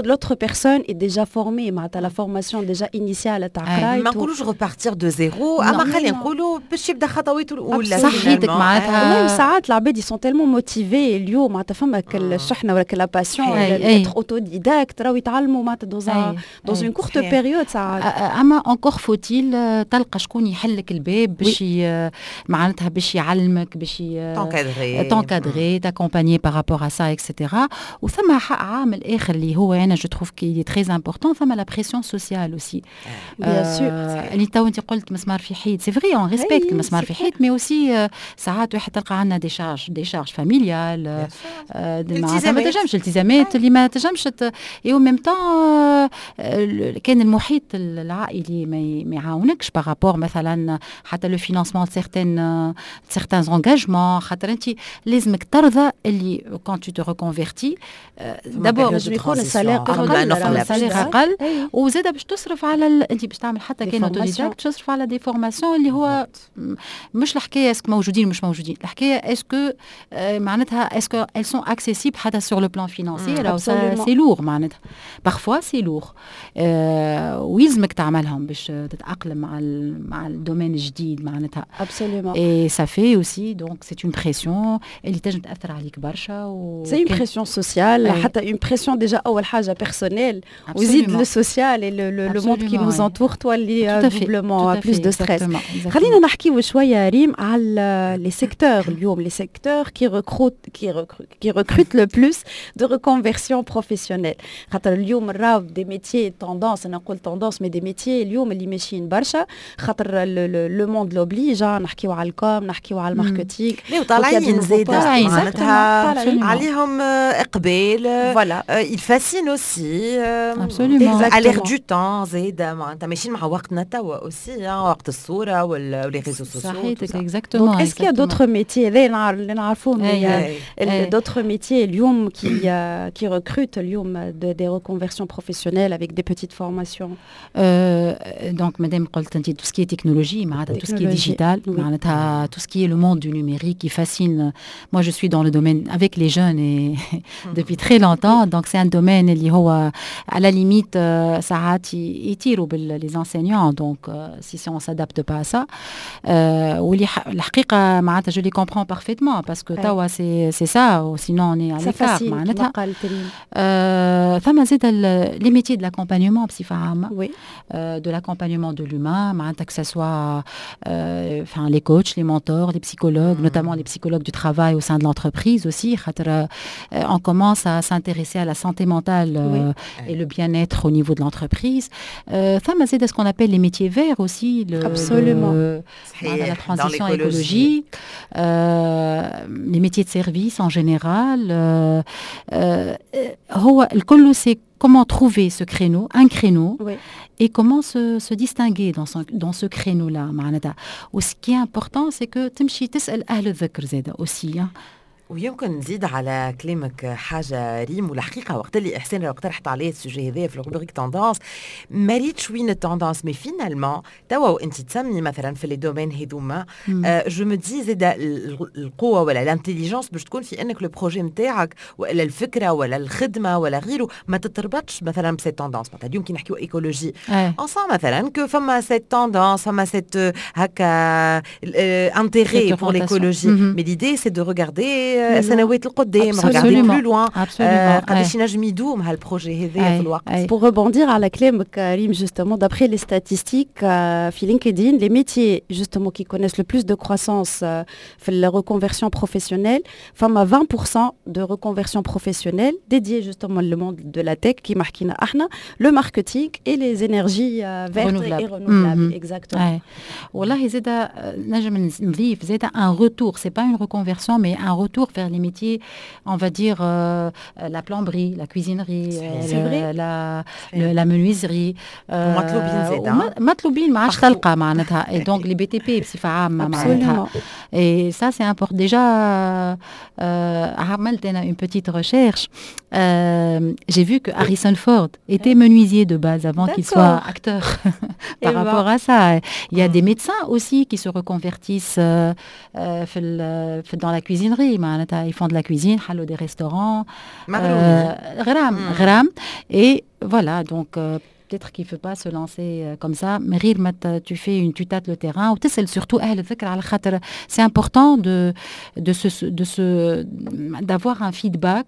l'autre personne est déjà formée, معناتها la formation déjà initiale تاع قرايته. ما نقولوش repartir de zéro, اما خلينا نقولوا باش يبدا خطواته الاولى. صحيتك معناتها. ساعات العباد sont tellement motivés اليوم, معناتها فما الشحنة ولا la passion être autodidacte, راهو يتعلموا معناتها dans dans une courte période ساعات. اما encore faut-il تلقى شكون يحلك الباب باش معناتها باش يعلمك, باش t'encadrer. T'encadrer, t'accompagner par rapport à ça et cetera. وثم عامل اخر اللي هو انا je trouve qu'il est très important, ثم la pression sociale aussi. Bien sûr. اللي تو انت قلت مسمار في حيط, c'est vrai, on respecte المسمار في حيط, mais aussi ساعات واحد تلقى عندنا des charges, des charges familiales, معناتها ما تنجمش, التزامات اللي ما تنجمش, et au même temps كان المحيط العائلي ما يعاونكش par rapport مثلا حتى le financement, certaines certains engagements, خاطر انت لازمك ترضى اللي quand tu te reconvertis d'abord لازم يكون ال salaire اقل, ال salaire اقل, وزاد باش تصرف على ال... انت باش تعمل حتى كان autodidacte تصرف على des formations, اللي هو مش الحكاية est-ce que موجودين مش موجودين, الحكاية est-ce que معناتها est-ce que elles sont accessibles حتى sur le plan financier. C'est lourd معناتها, parfois assez lourd ويلزمك تعملهم باش تتاقلم مع مع ال domaine الجديد معناتها. Absolument. Et ça fait aussi, donc c'est une pression اللي تنجم تاثر عليك برشا. و c'est une pression sociale, حتى une pression déjà اول حاجه personnelle وزيد le social et le monde qui nous entoure تولي doublement plus de stress. خلينا نحكيو شويه ريم على les secteurs اليوم, les secteurs qui recrutent qui qui recrutent le plus de reconversion professionnelle, خاطر اليوم نراو des métiers tendance, انا نقول tendance, mais des métiers اليوم اللي ماشيين برشا خاطر le monde l'oblige. نحكيو على ال com, نحكيو على ال marketing. لا وطالعين زايدة معناتها عليهم اقبال. Voilà. Ils fascinent aussi. Absolument. À l'air du temps زايدة معناتها ماشيين مع وقتنا توا aussi, وقت الصورة و les réseaux sociaux. صحيتك, exactement. Donc est-ce qu'il y a d'autres métiers اللي نعرفوهم, d'autres métiers اليوم qui qui recrutent اليوم des reconversions professionnelles avec des petites formations? Donc مادام قلت انت tout ce qui est technologie, معناتها tout ce qui est digital, معناتها tout ce qui est le monde du numérique qui fascine. Moi, je suis dans le domaine avec les jeunes et depuis très longtemps, donc c'est un domaine اللي هو à la limite ساعات يطيروا les enseignants, donc si on s'adapte pas à ça, واللي الحقيقه معناتها je les comprends parfaitement parce que توا c'est c'est ça ou sinon on est à l'écart معناتها. ثم زاد les métiers de l'accompagnement بصفه عامه, oui. De l'accompagnement de l'humain معناتها, que ce soit enfin les coachs, les mentors, les psychologues, notamment les psychologues du travail au sein de l'entreprise aussi خاطر on commence à s'intéresser à la santé mentale oui. Et le bien-être au niveau de l'entreprise. ثم زاد ce qu'on appelle les métiers verts aussi, le, Absolument. Le, la transition écologique, euh, les métiers de service en général. هو الكل c'est comment trouver ce créneau, un créneau, oui. Et comment se, se distinguer dans, son, dans ce créneau-là. معناتها. و ce qui est important, c'est que تمشي تسأل أهل الذكر زادة aussi, hein. ويمكن نزيد على كلامك حاجه ريم, والحقيقه وقت اللي احسان اقترحت عليه ال sujet هذا في ال rubrique tendance ما ريتش وين ال tendance, mais finalement توا وانت تسمي مثلا في les domaines هذوما, je me dis زاد القوه ولا l'intelligence باش تكون في انك le projet نتاعك ولا الفكره ولا الخدمه ولا غيره ما تتربطش مثلا ب cette tendance. مثلا اليوم كي نحكيو écologie, on sent مثلا que فما cette tendance, فما cette هكا intérêt pour l'écologie, mais l'idée, c'est de regarder سنوات القدام, regarder plus loin, قداش ينجم يدوم هال projet هذا في الوقت. Pour rebondir على كلامك ريم, justement, d'après les statistiques في LinkedIn, les métiers justement qui connaissent le plus de croissance في la reconversion professionnelle, فما vingt pour cent de reconversion professionnelle dédiée justement le monde de la tech كيما حكينا احنا, le marketing et les énergies vertes et renouvelables, exactement. والله زاد نجم نضيف زاد un retour, c'est pas une reconversion, mais un retour vers les métiers, on va dire euh, la plomberie, la cuisinerie, euh, la, le, la menuiserie. مطلوبين زاد. مطلوبين ما عادش تلقى معناتها, et donc les B T P بصفة عامة معناتها, et ça, c'est important. Déjà عملت انا une petite recherche, euh, j'ai vu que Harrison Ford était menuisier de base avant qu'il soit acteur par rapport à ça. Il y a des médecins aussi qui se reconvertissent euh, euh, dans la cuisinerie معناتها, ils font de la cuisine, حلوا des restaurants. غرام غرام, et voilà, donc peut-être qu'il ne faut pas se lancer comme ça, mais غير ما tu fais une tu tâtes le terrain وتسأل surtout أهل الذكر على خاطر c'est important de de se de se d'avoir un feedback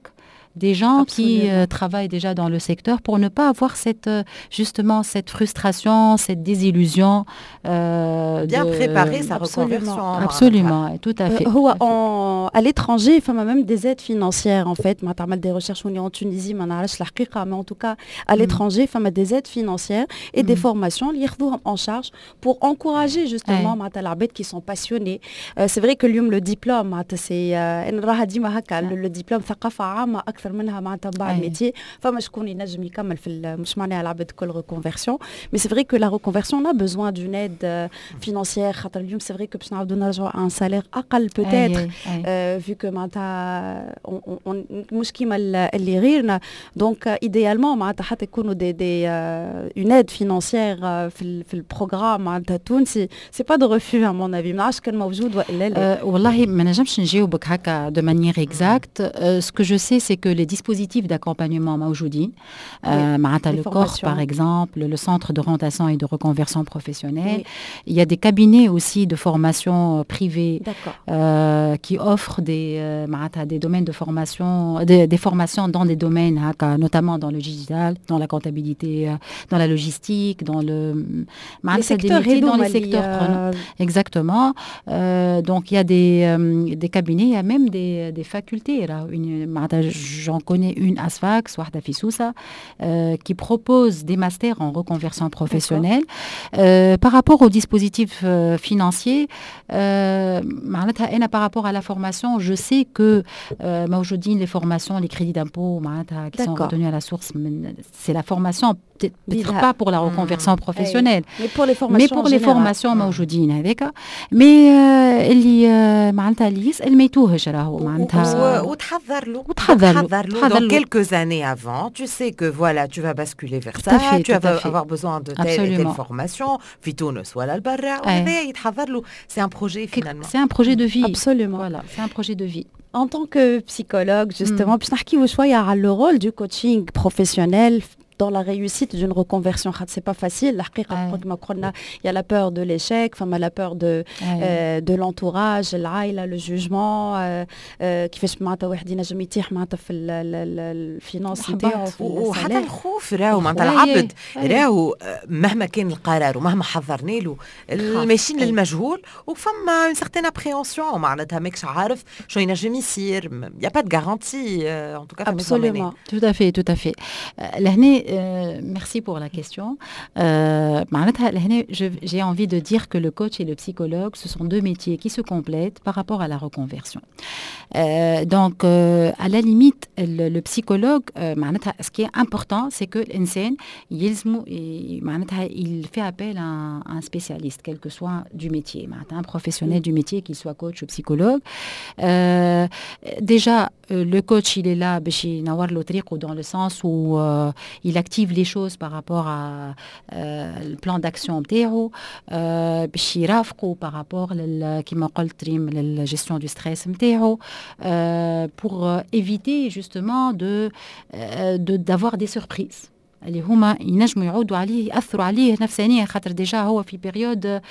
des gens qui euh, travaillent déjà dans le secteur pour ne pas avoir cette euh, justement cette frustration, cette désillusion. Euh, Bien de préparer sa reconversion. Absolument, tout à fait. هو en, à l'étranger, فما même des aides financières en fait. ما تعمل des recherches en Tunisie, ما نعرفش الحقيقة, mais en tout cas à l'étranger, فما des aides financières et des formations اللي ياخذوهم en charge pour encourager justement معناتها العباد qui sont passionnés. C'est vrai que اليوم le diplôme معناتها c'est انا نراها ديما هكا, le diplôme ثقافة عامة أكثر منها معناتها بعد métier. فما شكون ينجم يكمل في, مش معناها العباد الكل reconversion, mais c'est vrai que la reconversion, on a besoin d'une aide financière خاطر اليوم c'est vrai que باش نعاودو نرجعوا un salaire اقل peut-être, vu que معناتها مش كيما اللي غيرنا. Donc idéalement معناتها حتى يكونوا des des une aide financière في في ال programme معناتها التونسي, c'est pas de refus à mon avis. ما نعرفش كان موجود والا لا. والله ما نجمش نجاوبك هكا de manière exacte. Ce que je sais, c'est que que les dispositifs d'accompagnement موجودين, معناتها le CORP par exemple, le centre d'orientation et de reconversion professionnelle. Il y a des cabinets aussi de formation privés euh, qui offrent des, euh, des domaines de formation, des, des formations dans des domaines هكا, notamment dans le digital, dans la comptabilité, euh, dans la logistique, dans le les secteurs, des métiers, dans les secteurs prenants. Exactement. Euh, donc il y a des, euh, des cabinets, il y a même des, des facultés. Là. Une, j'en connais une à Sfax, واحدة في سوسة, euh, qui propose des masters en reconversion professionnelle. Euh, par rapport aux dispositifs euh, financiers, معناتها أنا par rapport à la formation, je sais que موجودين les formations, les crédits d'impôt معناتها qui sont retenus à la source, c'est la formation, peut-être pas pour la reconversion mmh. professionnelle, mais pour les formations, mais pour les formations موجودين هذاك. Mais اللي معناتها اللي يسال ما يتوهش راهو معناتها. وتحضر له. وتحضر له. له. Donc quelques années avant, tu sais que voilà, tu vas basculer vers ça, fait, tu vas avoir besoin de telle et telle formation في تونس ولا البرا, وهذا يتحضر له, c'est un projet finalement. C'est un projet de vie. Absolument. Voilà, c'est un projet de vie. En tant que psychologue, justement, باش نحكيو شويه على le rôle du coaching professionnel dans la réussite d'une reconversion. C'est pas facile الحقيقه. كما قلنا, il y a la peur de l'échec, فما la peur de euh, de l'entourage, العائله, le jugement, كيفاش معناتها واحد ينجم يطيح معناتها في ال finance نتاعو. وحتى الخوف راهو, معناتها العبد راهو مهما كان القرار ومهما حضرنا له, ماشيين للمجهول وفما une certaine appréhension, معناتها ماكش عارف شو ينجم يصير, y a pas de garantie en tout cas. Absolument. Tout à fait, tout à fait. لهنا, merci pour la question. Euh, j'ai envie de dire que le coach et le psychologue, ce sont deux métiers qui se complètent par rapport à la reconversion. Euh, donc, euh, à la limite, le, le psychologue, معناتها ce qui est important, c'est que الإنسان il fait appel à un, à un spécialiste, quel que soit du métier, معناتها un professionnel du métier, qu'il soit coach ou psychologue. Déjà, le coach, il est là باش ينور له طريقه, dans le sens où il active les choses par rapport à euh, le plan d'action نتاعو, باش يرافقوا par rapport لل كما قلت ريم لل gestion du stress نتاعو, pour éviter justement de d'avoir des surprises اللي هما ينجموا يعودوا عليه, ياثروا عليه نفسانيا, خاطر déjà هو في période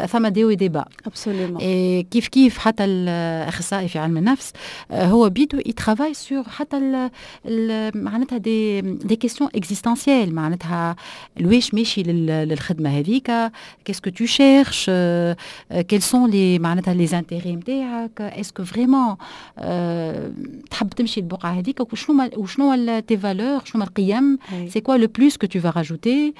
ثما des hauts et des bas. Absolument. كيف كيف حتى الاخصائي في علم النفس هو بيدو il travaille sur حتى معناتها des des questions existentielles, معناتها لواش ماشي للخدمه هذيك, qu'est-ce que tu cherches, quels sont les معناتها les intérêts نتاعك, est-ce que vraiment تحب تمشي البقعه هذيك, وشنو وشنو tes valeurs, شنو القيم, c'est quoi le plus que tu vas rajouter.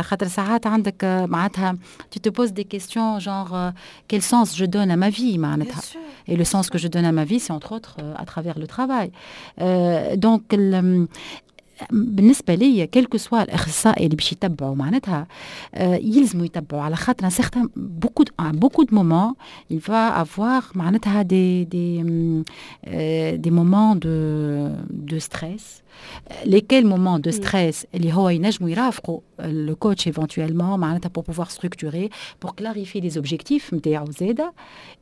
خاطر ساعات عندك معناتها tu te poses des questions genre euh, quel sens je donne à ma vie معناتها, et le sens que je donne à ma vie, c'est entre autres euh, à travers le travail. euh, donc بالنسبه لي, quel que soit الاخصائي اللي باش يتبعوا, معناتها يلزموا يتبعوا, على خاطر certains beaucoup beaucoup de moments il va avoir معناتها des des des moments de de stress, lesquels moments de stress اللي هو ينجموا يرافقوا le coach éventuellement معناتها pour pouvoir structurer, pour clarifier les objectifs نتاعو زاده,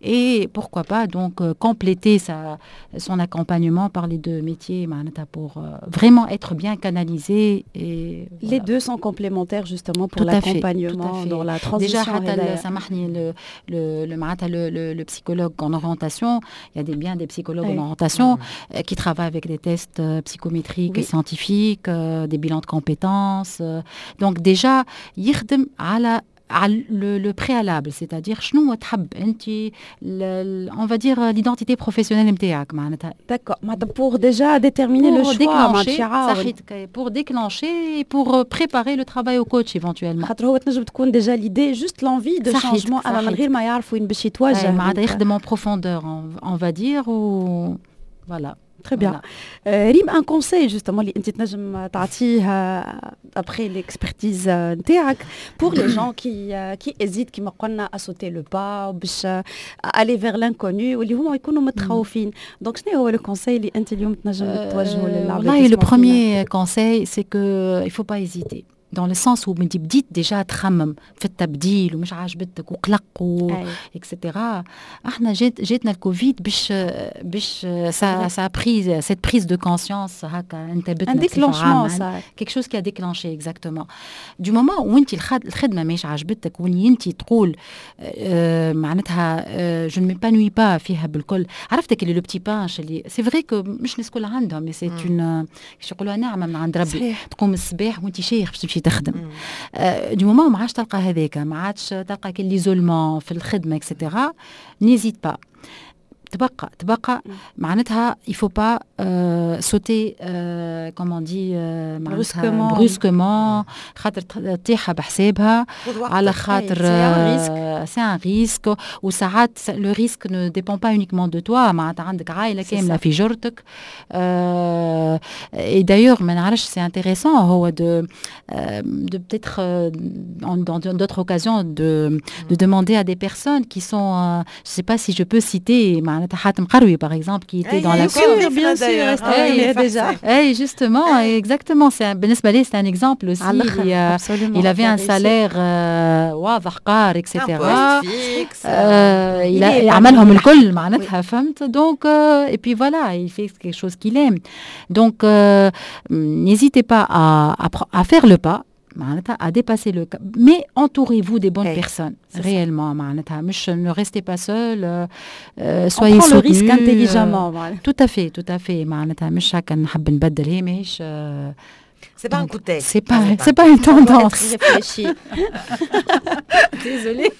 et pourquoi pas donc compléter sa son accompagnement par les deux métiers معناتها pour vraiment être bien canalisé et les deux sont complémentaires justement pour l'accompagnement dans la transition. Déjà حتى سامحني le le le معناتها le, le, le psychologue en orientation, il y a des bien des psychologues en orientation mmh. qui travaillent avec des tests psychométriques, oui, scientifiques, des bilans de compétences. Donc déjà يخدم على على le, le préalable, c'est-à-dire شنو تحب انت, on va dire l'identité professionnelle نتاعك معناتها. D'accord, pour déjà déterminer pour le choix. Déclencher, pour déclencher et pour préparer le travail au coach éventuellement. خاطر هو تنجم تكون déjà l'idée, juste l'envie de changement, اما من غير ما يعرف وين باش يتوجه. معناتها يخدم en profondeur, on va dire, ou voilà. Très bien. Euh, Rim, un conseil justement اللي انت تنجم تعطيه après l'expertise نتاعك pour les gens qui qui hésitent كما قلنا à sauter le pas باش aller vers l'inconnu واللي هما يكونوا متخوفين, donc شنو هو le conseil اللي انت اليوم تنجم توجهه للعباد؟ والله le premier conseil, c'est que il faut pas hésiter. dans le sens où انت بديت déjà تخمم في التبديل ومش عاجبتك وقلق و et cetera. احنا جات جاتنا الكوفيد باش باش ça ça a pris cette prise de conscience هكا انتبهتنا. un déclenchement صار. quelque chose qui a déclenché exactement du moment où انت الخدمة ماهيش عاجبتك وين انت تقول آه معناتها je ne m'épanouis pas فيها بالكل. عرفتك اللي le petit punch اللي c'est vrai que مش الناس كلها عندهم mais c'est une كيش يقولوها نعمه من عند ربي. صحيح. تقوم الصباح وانت شايخ باش تمشي تخدم. آه du moment ما عادش تلقى هذاك، ما عادش تلقى كل l'isolement في الخدمة et cetera، n'hésite pas تبقى تبقى معناتها il faut pas euh, sauter euh, comme on dit euh, معناتها brusquement خاطر تطيحها بحسابها على خاطر c'est un risque. وساعات le risque ne dépend pas uniquement de toi، معناتها عندك عائلة كاملة في جرتك. et d'ailleurs ما نعرفش c'est intéressant هو de de peut-être dans d'autres occasions de de demander à des personnes qui sont je sais pas si je peux citer معناتها حاتم قروي par exemple qui était dans la bien bien sûr déjà. اي justement exactement c'est بالنسبة لي c'est un exemple aussi. il avait un salaire واضح قار et cetera، عملهم الكل معناتها فهمت. donc et puis voilà il fait quelque chose qu'il aime. donc n'hésitez pas à, à, à faire le pas معناتها à dépasser le cap, mais entourez-vous des bonnes hey, personnes réellement معناتها مش ne restez pas seul, euh, soyez soutenus. le risque intelligemment. tout à fait tout à fait معناتها مش هكا نحب نبدل هي ماهيش C'est pas un coup de tête. C'est pas, c'est pas une tendance. réfléchi. Désolée.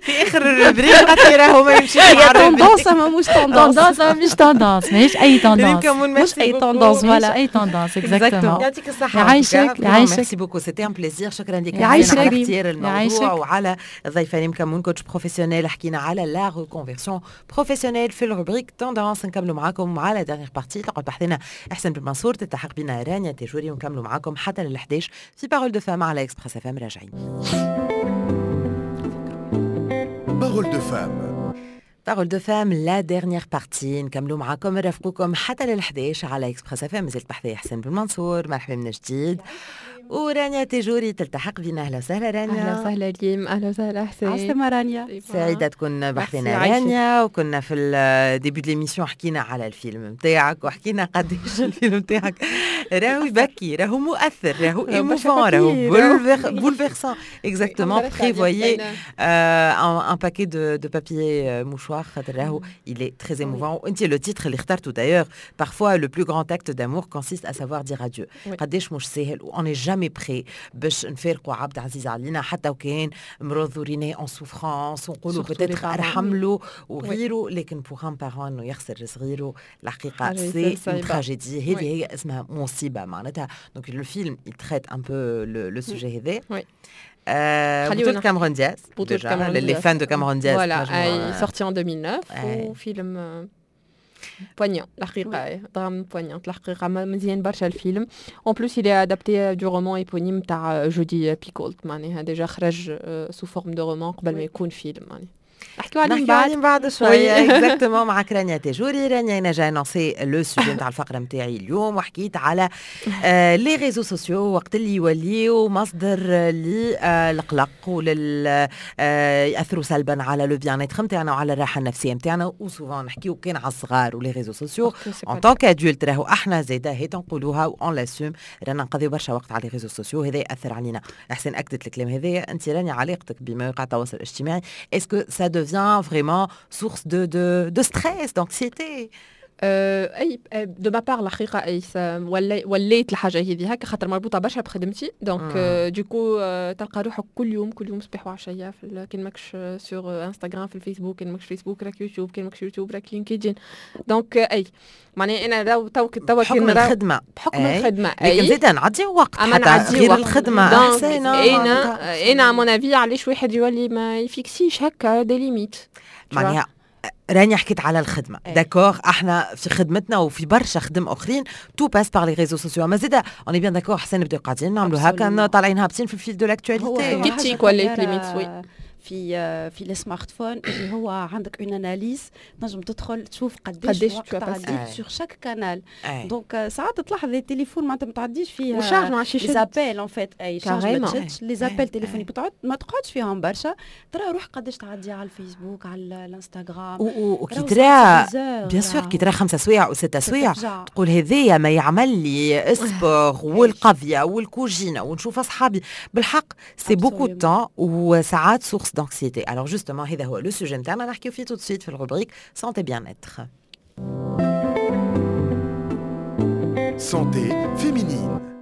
في اخر ال rubrique قالت لي راهو ما يمشيش مع tendance ما مش tendance. tendance مش tendance ماهيش اي tendance. مش اي tendance. voilà اي tendance exactement. يعطيك الصحة. يعيشك يعيشك. merci beaucoup c'était un plaisir. شكرا لك على اختيار الموضوع وعلى الضيفة ريم كمون coach professionnel. حكينا على la reconversion professionnelle في ال rubrique tendance. نكملوا معاكم على dernière partie تقعد بحذنا احسن بن منصور تلتحق بنا رانيا تجوري ونكملوا معاكم حتى لل إحداش في Parole de Femmes على Express FM. راجعين Parole de Femmes. Parole de Femmes la dernière partie نكملوا معاكم نرافقوكم حتى لل إحداش على Express FM. مازلت بحذايا حسن بن منصور مرحبا من جديد ورانيا تجوري تلتحق بنا. اهلا وسهلا رانيا. اهلا وسهلا ريم. اهلا وسهلا حسين. عسلامة رانيا. سعيدة تكون بحذنا رانيا. وكنا في ال début de l'émission حكينا على الفيلم نتاعك وحكينا قداش الفيلم نتاعك راهو يبكي راهو مؤثر راهو émouvant راهو bouleversant. exactement prévoyez un paquet de de papier mouchoir خاطر راهو il est très émouvant. وانت le titre اللي اخترته d'ailleurs parfois le plus grand acte d'amour consiste à savoir dire adieu. قداش مش ساهل on est jamais prêt باش نفارقوا عبد عزيز علينا حتى وكان مرض وريناه en souffrance ونقولوا peut-être ارحم له وغيره، لكن pour un parent انه يخسر صغيرة الحقيقة c'est une tragédie. هذه هي اسمها مصيبة معناتها. donc le film il traite un peu le sujet هذا. بطولة كاميرون دياز. les fans de Cameron Diaz. Voilà, sorti en deux mille neuf وفيلم poignant الحقيقة drame poignant الحقيقة مزيان برشا الفيلم. en plus il est adapté du roman éponyme تاع Jodi Picoult معناها déjà خرج sous forme de roman قبل ما يكون فيلم معناها. نحكيو عليه بعد بعد شوية exactement معك رانيا تجوري. رانيا انا j'ai annoncé le sujet نتاع الفقرة نتاعي اليوم وحكيت على آه les réseaux sociaux وقت اللي يوليو مصدر للقلق ولل آه ياثروا سلبا على le bien-être نتاعنا وعلى الراحة النفسية نتاعنا. و souvent نحكيو كان على الصغار و les réseaux sociaux en tant qu'adultes راهو احنا زاده هي تنقولوها on l'assume رانا نقضيو برشا وقت على les réseaux sociaux هذا ياثر علينا. احسن اكدت الكلام هذايا. انت رانيا علاقتك بمواقع التواصل الاجتماعي est-ce que ça devient vraiment source de, de, de stress, d'anxiété? اي de ma part الحقيقة اي وليت الحاجة هذه هكا خاطر مربوطة برشا بخدمتي. donc du coup تلقى روحك كل يوم كل يوم صباح وعشية كان ماكش sur انستغرام في الفيسبوك، كان ماكش فيسبوك راك يوتيوب، كان ماكش يوتيوب راك LinkedIn. donc اي معناها انا لو تو تو بحكم الخدمة بحكم الخدمة اي لكن زيد نعدي وقت حتى غير الخدمة احسن. انا انا à mon avis علاش واحد يولي ما يفيكسيش هكا des limites معناها. راني حكيت على الخدمة d'accord احنا في خدمتنا وفي برشا خدم اخرين tout passe par les réseaux sociaux. ما زيد on est bien d'accord حسين نبداو قاعدين نعملوا هكا طالعين هابطين في ال fil de l'actualité كيتيك ولات limite oui. في في ال smartphone اللي هو عندك une analyse، تنجم تدخل تشوف قداش وقت عديت sur chaque canal. donc ساعات تلاحظ التليفون معناتها ما تعديش فيه و charge ما عادش les appels en fait، اي charge ما تشدش les appels téléphoniques، ما تقعدش فيهم برشا، ترى روح قداش تعدي على الفيسبوك، على الانستغرام. وكي ترى bien sûr كي ترى خمسة سوايع وستة سوايع تقول هذايا ما يعمل لي sport والقضية والكوجينه ونشوف اصحابي. بالحق c'est beaucoup de temps وساعات source d'anxiété. alors justement هذا هو le sujet نتاعنا، نحكيو فيه tout de suite في ال rubrique santé bien-être. santé féminine.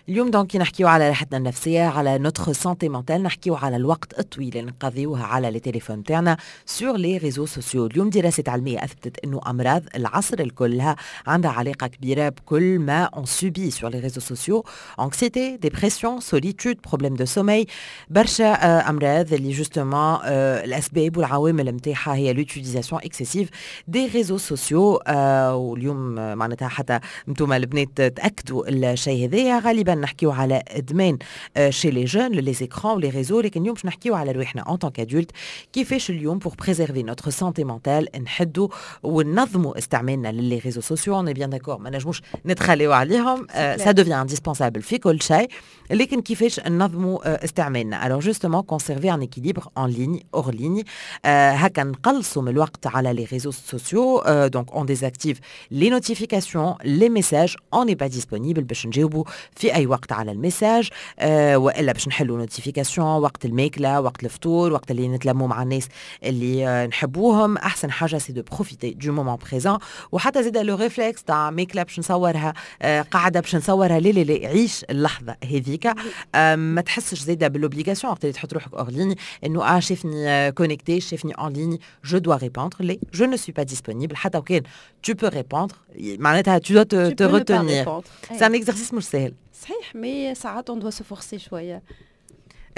اليوم donc نحكيو على راحتنا النفسية، على notre santé mentale، نحكيو على الوقت الطويل اللي نقضيوه على les téléphones تاعنا sur les réseaux sociaux. اليوم دراسة علمية اثبتت انه امراض العصر الكلها عندها علاقة كبيرة بكل ما on subit sur les réseaux sociaux، anxiété، dépression، solitude، problèmes de sommeil، برشا امراض اللي justement الاسباب والعوامل نتاعها هي l'utilisation excessive des réseaux sociaux. واليوم معناتها حتى انتم البنات تاكدوا الشيء هذايا. غالبا نحكيو على ادمان chez les jeunes les écrans و les réseaux، لكن اليوم باش نحكيو على رواحنا en tant qu'adultes، كيفاش اليوم pour préserver notre santé mentale نحدوا وننظموا استعمالنا ل les réseaux sociaux. on est bien d'accord ما نجموش نتخليو عليهم، ça devient indispensable في كل شيء، لكن كيفاش ننظموا استعمالنا. alors justement conserver un équilibre en ligne hors ligne، هكا نقلصوا من الوقت على les réseaux sociaux. donc on désactive les notifications، les messages، on n'est pas disponible باش نجاوبوا في اي وقت على ال message، آه والا باش نحلوا notification وقت الماكله، وقت الفطور، وقت اللي نتلموا مع الناس اللي آه نحبوهم. احسن حاجة c'est de profiter du moment présent. وحتى زيد le réflexe تاع ماكله باش نصورها، آه قاعدة باش نصورها، لا لا لا، عيش اللحظة هذيك. آه ما تحسش زيد بال obligation وقت اللي تحط روحك hors ligne انه اه شافني connectée، شافني en ligne، je dois répondre. لا، je ne suis pas disponible. حتى وكان tu peux répondre معناتها tu dois te, te retenir. c'est un exercice مش سهل. صحيح، mais ساعات on doit se forcer شوية.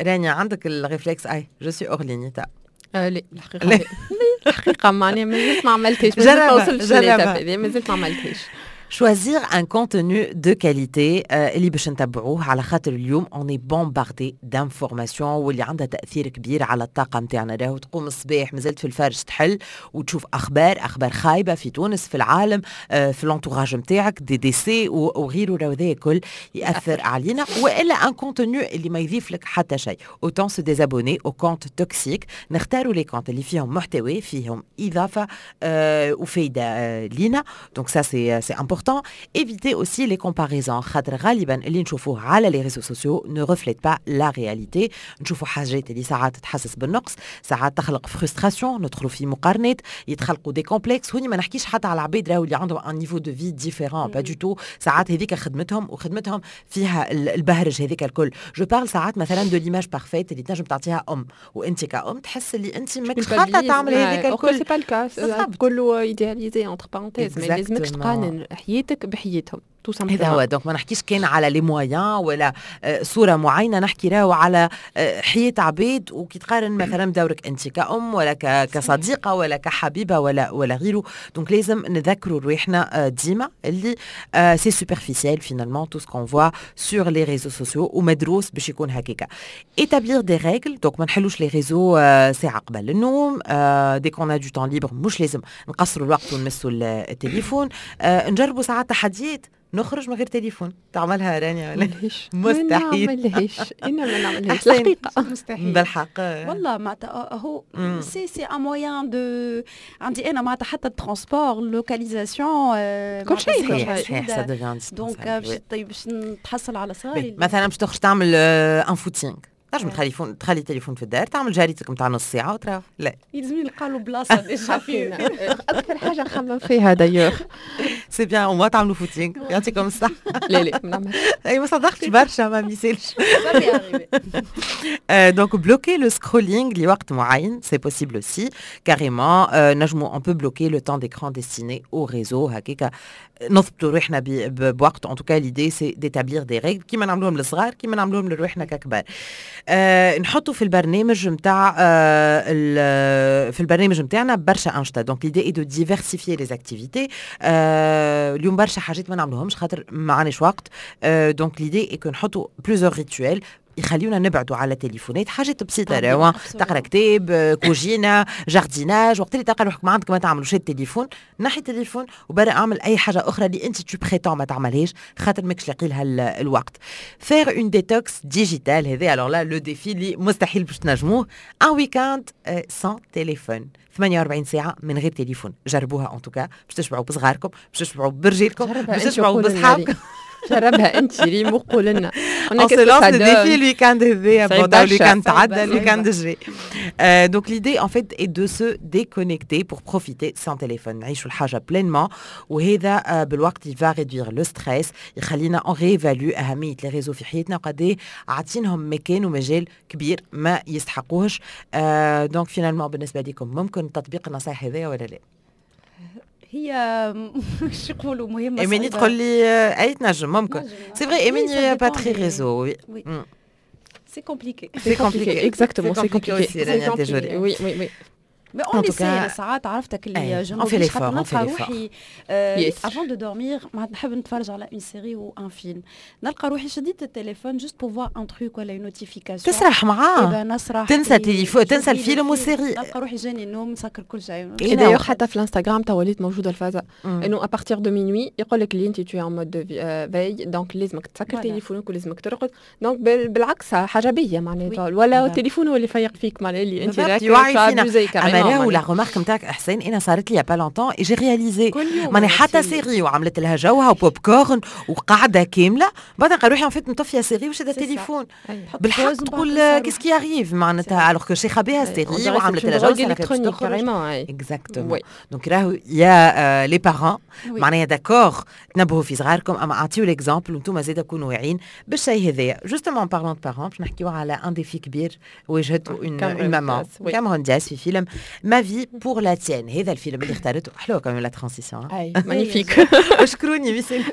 رانيا عندك ال réflexe اي je suis hors ligne تا؟ آه لا الحقيقة لا الحقيقة معناها مازلت ما عملتهاش، مازلت ما وصلتش l'étape هذه، مازلت ما عملتهاش. choisir un contenu de qualité اللي باش نتبعوه، على خاطر اليوم on est bombardé d'informations واللي عندها تاثير كبير على الطاقة نتاعنا. راهو تقوم الصباح مازلت في الفرش تحل وتشوف اخبار، اخبار خايبة في تونس، في العالم، في l'entourage نتاعك، des décès وغيره، راهو هذا الكل ياثر علينا. والا un contenu اللي ما يضيف لك حتى شيء، autant se désabonner aux comptes toxiques. نختاروا les comptes اللي فيهم محتوى، فيهم اضافه وفايده لينا. donc ça c'est c'est important. Éviter aussi les comparaisons. خاطر غالبا اللي نشوفوه على les réseaux sociaux ne reflète pas la réalité. نشوفوا حاجات اللي ساعات تحسس بالنقص، ساعات تخلق frustration، ندخلوا في مقارنات، يتخلقوا des complexes. هوني ما نحكيش حتى على العباد راهو اللي عندهم un niveau de vie différent، pas du tout. ساعات هذيك خدمتهم وخدمتهم فيها البهرج هذيك الكل. je parle ساعات مثلا de l'image parfaite اللي تنجم تعطيها ام، وانت كأم تحس اللي انت ماكش خاطه تعمل هذيك الكل. c'est pas le cas، كله idéalisé entre parenthèses، ما لازمكش تقارن حياتك بحياتهم. هذا هو. donc ما نحكيش كان على les moyens ولا صوره معينة، نحكي راهو على حياة عباد، وكي تقارن مثلا بدورك انت كأم ولا كصديقه ولا كحبيبه ولا ولا غيره. donc لازم نذكروا رواحنا ديما اللي c'est superficiel finalement tout ce qu'on voit sur les réseaux sociaux، ومدروس باش يكون هكاكا. établir des règles، donc ما نحلوش les réseaux ساعة قبل النوم، dès qu'on a du temps libre مش لازم نقصروا الوقت ونمسوا التليفون. نجربوا ساعات تحديات، نخرج من غير تليفون. تعملها رانيا ولا؟ مستحيل. ما نعملهاش، انا ما نعملهاش الحقيقة، مستحيل بالحق والله. معناتها هو c'est c'est un moyen de عندي انا معناتها حتى ال transport، localisation، كل شيء. صحيح، ça devient donc باش نتحصل على صغاري. مثلا باش تخرج تعمل un footing، تنجم تخلي فون تخلي تليفون في الدار، تعمل جاريتك نتاع نص ساعة وتروح. لا يلزمني نلقى له بلاصة déjà فينا. اكثر حاجة نخمم فيها d'ailleurs. c'est bien au moins تعملوا footing، يعطيكم الصحة. لا لا ما نعملش. اي ما صدقتش برشا ما ميسالش. donc bloquer le scrolling لوقت معين، c'est possible aussi carrément. نجمو on peut bloquer le temps d'écran destiné aux réseaux، هكاكا نضبطوا روحنا بوقت. en tout cas l'idée c'est d'établir des règles كيما نعملوهم للصغار كيما نعملوهم لروحنا ككبار. أه نحطوا في البرنامج نتاع أه في البرنامج نتاعنا برشا انشطة. donc l'idée est de diversifier les activités. اليوم برشا حاجات ما نعملوهمش خاطر ما عندناش وقت. أه donc l'idée est que نحطوا plusieurs rituels يخليونا نبعدوا على التليفونات، حاجات بسيطة راهو، تقرا كتاب، كوجينه، jardinage. وقت اللي تلقى روحك ما عندك ما تعمل وشاد التليفون، نحي التليفون وبرا اعمل اي حاجة اخرى اللي انت tu prétends ما تعملهاش خاطر ماكش لاقي لها الوقت. faire une détox digitale، هذا alors là le défi اللي مستحيل باش تنجموه، un week-end sans téléphone، ثمانية وأربعين ساعة من غير تليفون. جربوها en tout cas، باش تشبعوا بصغاركم، باش تشبعوا برجالكم، باش تشبعوا بصحابكم. جربها انت ريم وقول لنا. on se lance le défi ال week-end هذايا. bon، ال week-end تعدى، ال week-end الجاي. donc l'idée en fait est de se déconnecter pour profiter sans téléphone، نعيشوا الحاجة pleinement، وهذا بالوقت il va réduire le stress، يخلينا on réévalue اهمية les réseaux في حياتنا وقد عاطينهم مكان ومجال كبير ما يستحقوهش. donc finalement بالنسبة لكم ممكن تطبيق النصائح هذايا ولا لا؟ هي شو يقولوا مهمه. ايماني تقول لي اي تنجم، ممكن c'est vrai، ايماني pas très réseau. oui، c'est compliqué. c'est compliqué. exactement، c'est compliqué. oui oui oui. mais on essaie ساعات، عرفتك اللي je on fait l'effort. نلقى روحي avant de dormir نحب نتفرج على une série ou un film، نلقى روحي شديت التليفون juste pour voir un truc ولا une notification. تسرح معاه. نسرح. تنسى التليفون، تنسى الفيلم وال série. نلقى روحي جاني النوم، نسكر كل شيء. d'ailleurs حتى في الانستغرام تو وليت موجودة الفازة انه à partir de minuit يقول لك اللي انت tu es en mode veille، donc لازمك تسكر تليفونك ولازمك ترقد. donc بالعكس حاجة باهيه معناتها، ولا التليفون هو اللي يفيق فيك، معناها اللي انت راك يوعي فينا. اما راهو la remarque نتاعك احسان انا صارت لي pas longtemps et j'ai réalisé، ماني حتى série وعملت لها جوها وبوب كورن وقعده كامله، بعد نلقى روحي en fait مطفيه série وشاده التليفون. بالحق تقول qu'est-ce qui arrive معناتها، alors que شيخه بها série وعملت لها جو. électronique carrément. exactement. donc راهو يا les parents معناها d'accord تنبهوا في صغاركم، اما اعطيو l'exemple وانتم زاده كونوا واعيين بالشيء هذايا. justement parlant de parents، باش نحكيو على un défi كبير واجهته une maman، كاميرون دياز في فيلم Ma vie pour la tienne. هذا الفيلم اللي اختارته. حلوة quand même la transition. اي magnifique. اشكروني. ميرسي.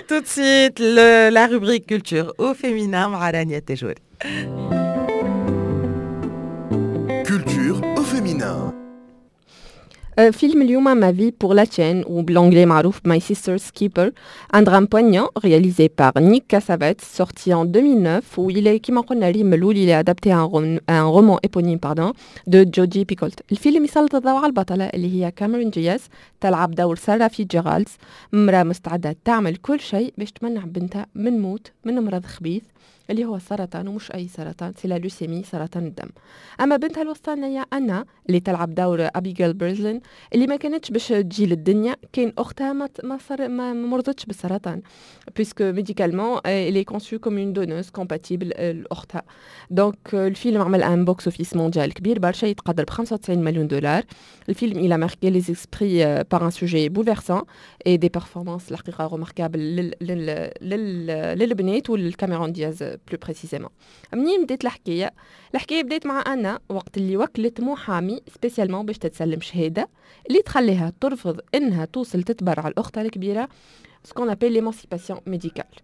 Tout de suite, le, la rubrique culture au féminin مع رانيا التجوري. Culture au féminin. فيلم اليوم Ma vie pour la tienne ou l'anglais معروف My Sister's Keeper، un drame poignant réalisé par Nick Cassavetes sorti en deux mille neuf où il est كما قلنا ريم الأول il est adapté à un, un roman éponyme pardon de Jodi Picoult. الفيلم يسلط الضوء على البطلة اللي هي كاميرون دياز، تلعب دور سارة فيتزجيرالد، امرأة مستعدة تعمل كل شيء باش تمنع بنتها من موت من مرض خبيث اللي هو السرطان، ومش أي سرطان، c'est la leucémie، سرطان الدم. أما بنتها الوسطانية أنا اللي تلعب دور أبيجيل برزلين، اللي ما كانتش باش تجي للدنيا كان أختها ما ما, صار ما مرضتش بالسرطان، puisque médicalement elle est conçue comme une donneuse compatible لاختها. donc الفيلم عمل un box-office mondial كبير برشا يتقدر ب خمسة وتسعين مليون دولار. الفيلم il a marqué les esprits par un sujet bouleversant et des performances الحقيقة remarquables للبنات وللكاميرون دياز plus précisément. منين بدات الحكايه؟ الحكاية بدات مع انا وقت اللي وكلت محامي spécialement باش تتسلم شهادة اللي تخليها ترفض انها توصل تتبرع لاختها الكبيره، ce qu'on appelle l'émancipation médicale.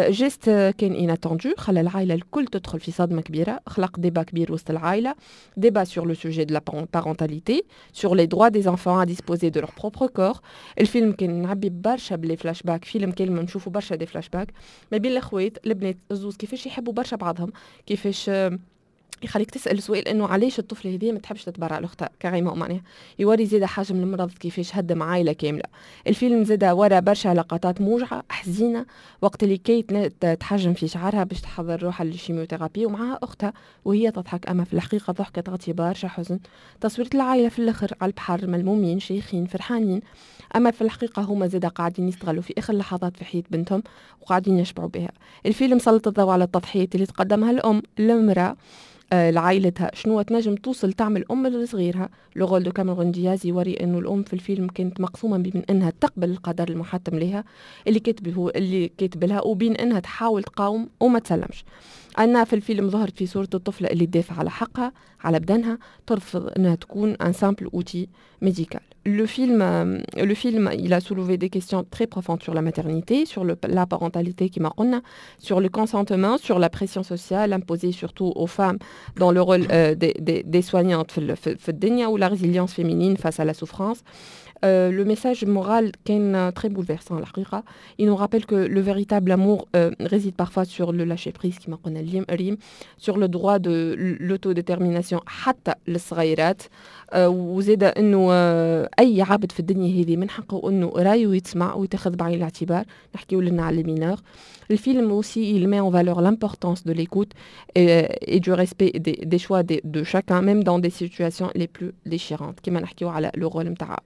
geste كان inattendu، خلى العائلة الكل تدخل في صدمة كبيره، خلق débat كبير وسط العائله، débat sur le sujet de la parentalité، sur les droits des enfants à disposer de leur propre corps. الفيلم كان معبي برشا ب les flashbacks، فيلم كان نشوفوا برشا des flashbacks ما بين الاخوات البنات الزوز، كيفاش يحبوا برشا بعضهم، كيفاش يخليك تسال سؤال انه علاش الطفلة هذه ما تحبش تتبرع لاختها carrément. معناها يوري زاد حجم المرض كيفاش هدم عائلة كامله. الفيلم زاد ورا برشا لقطات موجعة حزينه، وقت اللي كيت تحجم في شعرها باش تحضر روحها لل chimiothérapie ومعها اختها وهي تضحك، اما في الحقيقة ضحكه تغطي برشا حزن. تصويرة العائلة في الاخر على البحر ملمومين شيخين فرحانين، اما في الحقيقة هما زاد قاعدين يستغلوا في اخر لحظات في حياة بنتهم وقاعدين يشبعوا بها. الفيلم سلط الضوء على التضحيات اللي تقدمها الام المراة آه، لعائلتها، شنو تنجم توصل تعمل ام لصغيرها. le rôle de كاميرون دياز يوري انه الام في الفيلم كانت مقسومة بين انها تقبل القدر المحتم لها اللي كاتبه اللي كاتب لها وبين انها تحاول تقاوم وما تسلمش. أنا في الفيلم ظهرت في صورة الطفلة اللي تدافع على حقها، على بدنها، ترفض أنها تكون un simple outil médical. Le film, le film, il a soulevé des questions très profondes sur la maternité, sur le, la parentalité كيما قلنا, sur le consentement, sur la pression sociale imposée surtout aux femmes dans le rôle euh, des, des, des soignantes في الدنيا ou la résilience féminine face à la souffrance. Euh, le message moral كان très bouleversant الحقيقة. Il nous rappelle que le véritable amour euh, réside parfois sur le lâcher prise كما قلنا اليوم ريم, sur le droit de l'autodétermination حتى للصغيرات، آه، وزاد انه آه، اي عبد في الدنيا هذه من حقه انه رايه يتسمع ويتاخذ بعين الاعتبار. نحكيو لنا على les mineurs. Le film aussi, il met en valeur l'importance de l'écoute et, et du respect des, des choix de, de chacun, même dans des situations les plus déchirantes. كما نحكيو على le rôle نتاع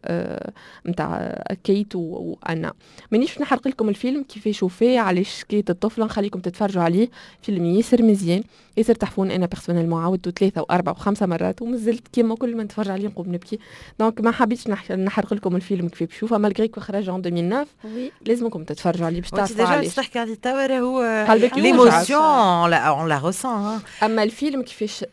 نتاع كيت وانا مانيش نحرق لكم الفيلم كيفاش وفاه، علاش كيت الطفله، نخليكم تتفرجوا عليه. فيلم ياسر مزيان، ياسر تحفون. انا personnellement عاودته ثلاثة واربعة وخمسة مرات ومازلت كيما كل ما نتفرج عليه نقوم نبكي. donc ما حبيتش نحرق لكم الفيلم كيف تشوفه، malgré que خرج en ألفين وتسعة. لازمكم تتفرجوا عليه باش تعرفوا علاش تحكي عليه توا. راهو l'émotion on la ressent. اما الفيلم كيفاش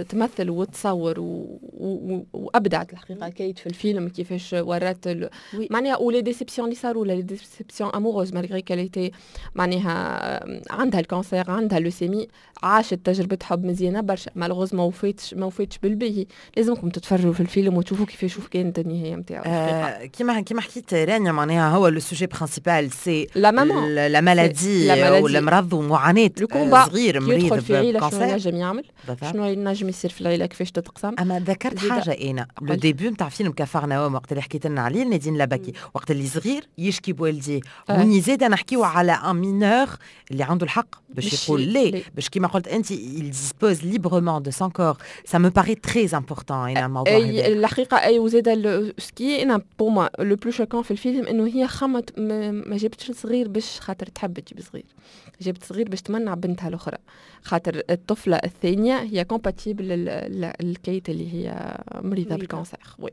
تمثل وتصور و... و... وابدعت الحقيقة كيت في الفيلم، كيفاش ورات ال... معناها و les déceptions اللي صاروا، les déceptions amoureuses، malgré qu'elle était معناها عندها ال cancer، عندها leucémie، عاشت تجربه حب مزيانه برشا، malheureusement ما وفاتش ما وفاتش بالباهي. لازمكم تتفرجوا في الفيلم وتشوفوا كيفاش كانت النهاية نتاعو. آه كيما كيما حكيت رانيا، معناها هو le sujet principal c'est la maman la maladie والمرض ومعاناة صغير مريض في عيله، شنو ينجم يعمل، شنو ينجم يصير في العيله، كيفاش تتقسم. اما ذكرت حاجة انا، le début نتاع فيلم كفرناوم وقت اللي حكيت لنا عليه نادين لبكي، وقت اللي صغير يشكي بوالديه، وين زاد نحكيو على un mineur اللي عنده الحق باش يقول لي، باش كيما قلت انت il dispose librement de son corps. ça me paraît très important انا الموضوع. اي الحقيقة اي، وزاد ce qui est انا pour moi le plus choquant في الفيلم انه هي خمت ما جابتش صغير باش خاطر تحب تجيب صغير، جابت صغير باش تمنع بنتها الاخرى، خاطر الطفلة الثانية هي compatible الكيت اللي هي مريضه بال cancer، oui.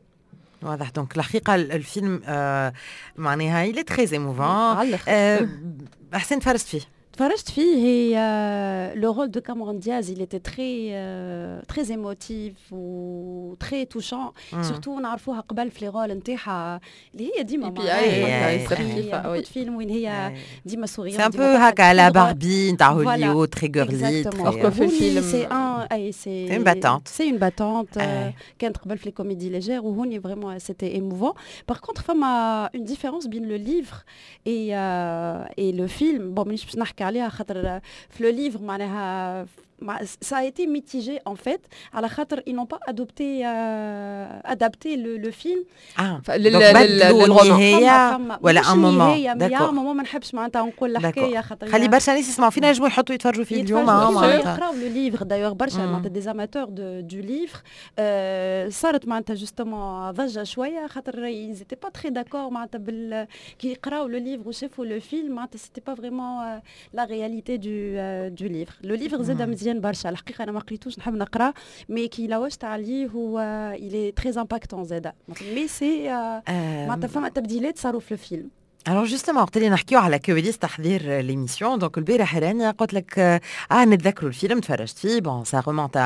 واضح. donc الحقيقة الفيلم آه معناها il est très émouvant. آه احسن تفرجت فيه؟ تفرجت فيه. هي le rôle de Cameron Diaz il était très euh, très émotif و très touchant، surtout نعرفوها قبل في les rôles نتاعها اللي هي ديما مع فيلم وين هي ديما souriante. c'est un peu هكا la Barbie نتاع هوليوود، très girly. في الفيلم c'est un اي c'est une battante. c'est une battante كانت قبل في les comédies légères، وهوني vraiment c'était émouvant. par contre فما une différence بين le livre et et le film. bon، مانيش باش نحكي عليها خاطر في le livre معناها ça a été mitigé en fait على خاطر ils n'ont pas adopté euh, adapté le, le film. اه لل roman ولا un moment؟ d'accord، moment ما نحبش معناتها نقول الحكاية خاطر خلي برشا ناس يسمعوا فينا ينجموا يحطوا يتفرجوا فيه اليوم. يقراو le livre d'ailleurs، برشا معناتها des amateurs du livre صارت معناتها justement ضجه شوية خاطر ils étaient pas très d'accord معناتها بال كي يقراو le livre وشافوا le film، معناتها c'était pas vraiment la réalité du du livre. le livre زاد مزيان برشا الحقيقه، انا ما قريتوش، نحب نقرا، mais كي لوجت عليه هو il est très impactant زاد، mais c'est معناتها فما تبديلات صاروا في الفيلم. alors justement وقت اللي نحكيو على كواليس تحضير l'émission، donc البارح رانيا قلت لك اه نتذكروا الفيلم تفرجت فيه، bon ça remonte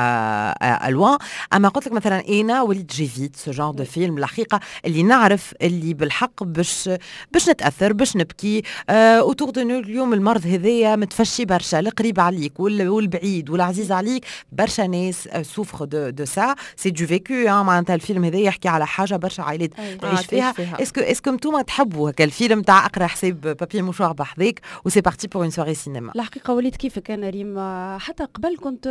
à loin، اما قلت لك مثلا انا وليت j'évite ce genre de film الحقيقه، اللي نعرف اللي بالحق باش باش نتاثر، باش نبكي. autour de nous اليوم المرض هذايا متفشي برشا، القريب عليك والبعيد والعزيز عليك، برشا ناس souffrent de de ça، c'est du vécu. معناتها الفيلم هذا يحكي على حاجة برشا عائلات تعيش فيها. est-ce que est-ce que انتوما تحبوا هكا الفيلم تاع اقرا حساب papier mouchoir بحذاك و c'est parti pour une soirée cinéma؟ الحقيقة وليت كيفك انا ريم، حتى قبل كنت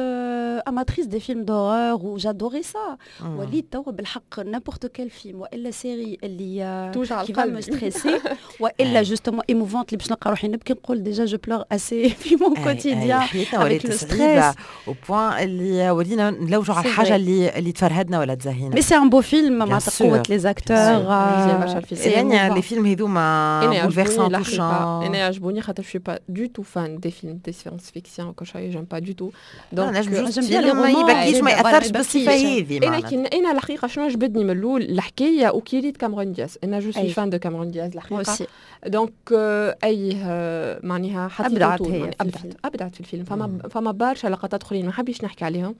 amatrice des films d'horreur و j'adorais ça. وليت توا بالحق n'importe quel film والا série اللي توجع qui va me stresser والا justement émouvante اللي باش نلقى روحي نبكي، نقول déjà je pleure assez في mon quotidien. حياتنا ولات صعيبة au point اللي ولينا نلوجوا على الحاجة اللي اللي تفرهدنا ولا تزهينا. mais c'est un beau film مع قوة les acteurs. يعني les films هذوما bouleversant، touchant. انا يعجبوني خاطر je suis pas du tout fan des films des science-fiction وكل شيء، j'aime pas du tout. donc j'aime ما يبكيش، ما ياثرش بالصفة هذه. انا كي انا الحقيقة شنو عجبتني من الاول الحكاية وكي ريت كاميرون دياز، انا je suis fan de كاميرون دياز الحقيقه، donc اي معناها ابدعت هي. ابدعت، ابدعت في الفيلم. فما فما برشا لقطات اخرين ما حبيش نحكي عليهم،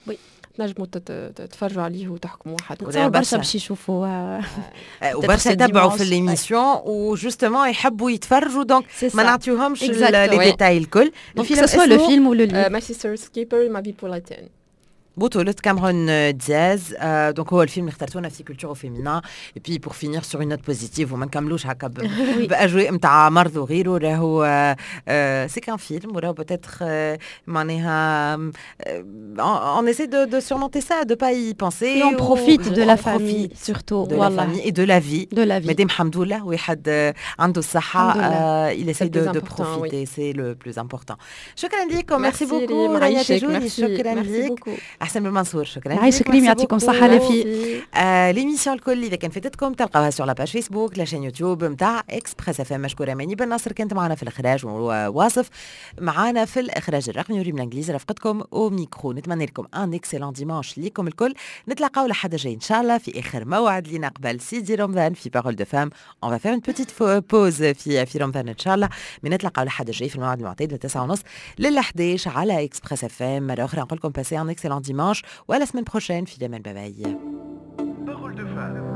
تنجموا تتفرجوا عليه وتحكموا وحدكم. برشا باش يشوفوا. وبرشا يتبعوا في l'émission و justement يحبوا يتفرجوا، donc ما نعطيوهمش les détails الكل. الفيلم soit le film ou le livre. My Sister's Keeper، Ma vie pour la tienne. بطولة كاميرون دياز. donc هو الفيلم اللي اخترتونا في culture féminin، et puis pour finir sur une note positive وما نكملوش هكا باجواء نتاع مرض وغيره، راهو c'est qu'un film وراهو peut-être معناها on essaie de, de surmonter ça، de pas y penser. Et on profite de la famille surtout. de la famille et de la vie. De la vie. مادام الحمد لله واحد عنده الصحة، il essaie de, de profiter، c'est le plus important. شكرا لكم، merci beaucoup رانيا تجوني، شكرا لك احسن بن منصور، شكرا. عايشك ريم، يعطيكم الصحة لفي. آه l'émission الكل اذا كان فاتتكم تلقاوها sur la page Facebook، la chaîne YouTube نتاع Express FM. مشكورة ماني بن ناصر كانت معنا في الاخراج، وواصف معنا في الاخراج الرقمي، وريم الانجليزي رافقتكم au micro. نتمنى لكم un excellent dimanche ليكم الكل. نتلاقاو لحد جاي ان شاء الله في اخر موعد لينا قبل سيدي رمضان في Parole de Femmes. on va faire une petite pause في في رمضان ان شاء الله، من نتلاقاو لحد جاي في الموعد المعتاد من تسعة ونص لل حداش على Express FM. مرة اخرى نقول لكم passez un excellent dimanche و à la semaine prochaine. في الامان، bye bye. Parole de Femmes.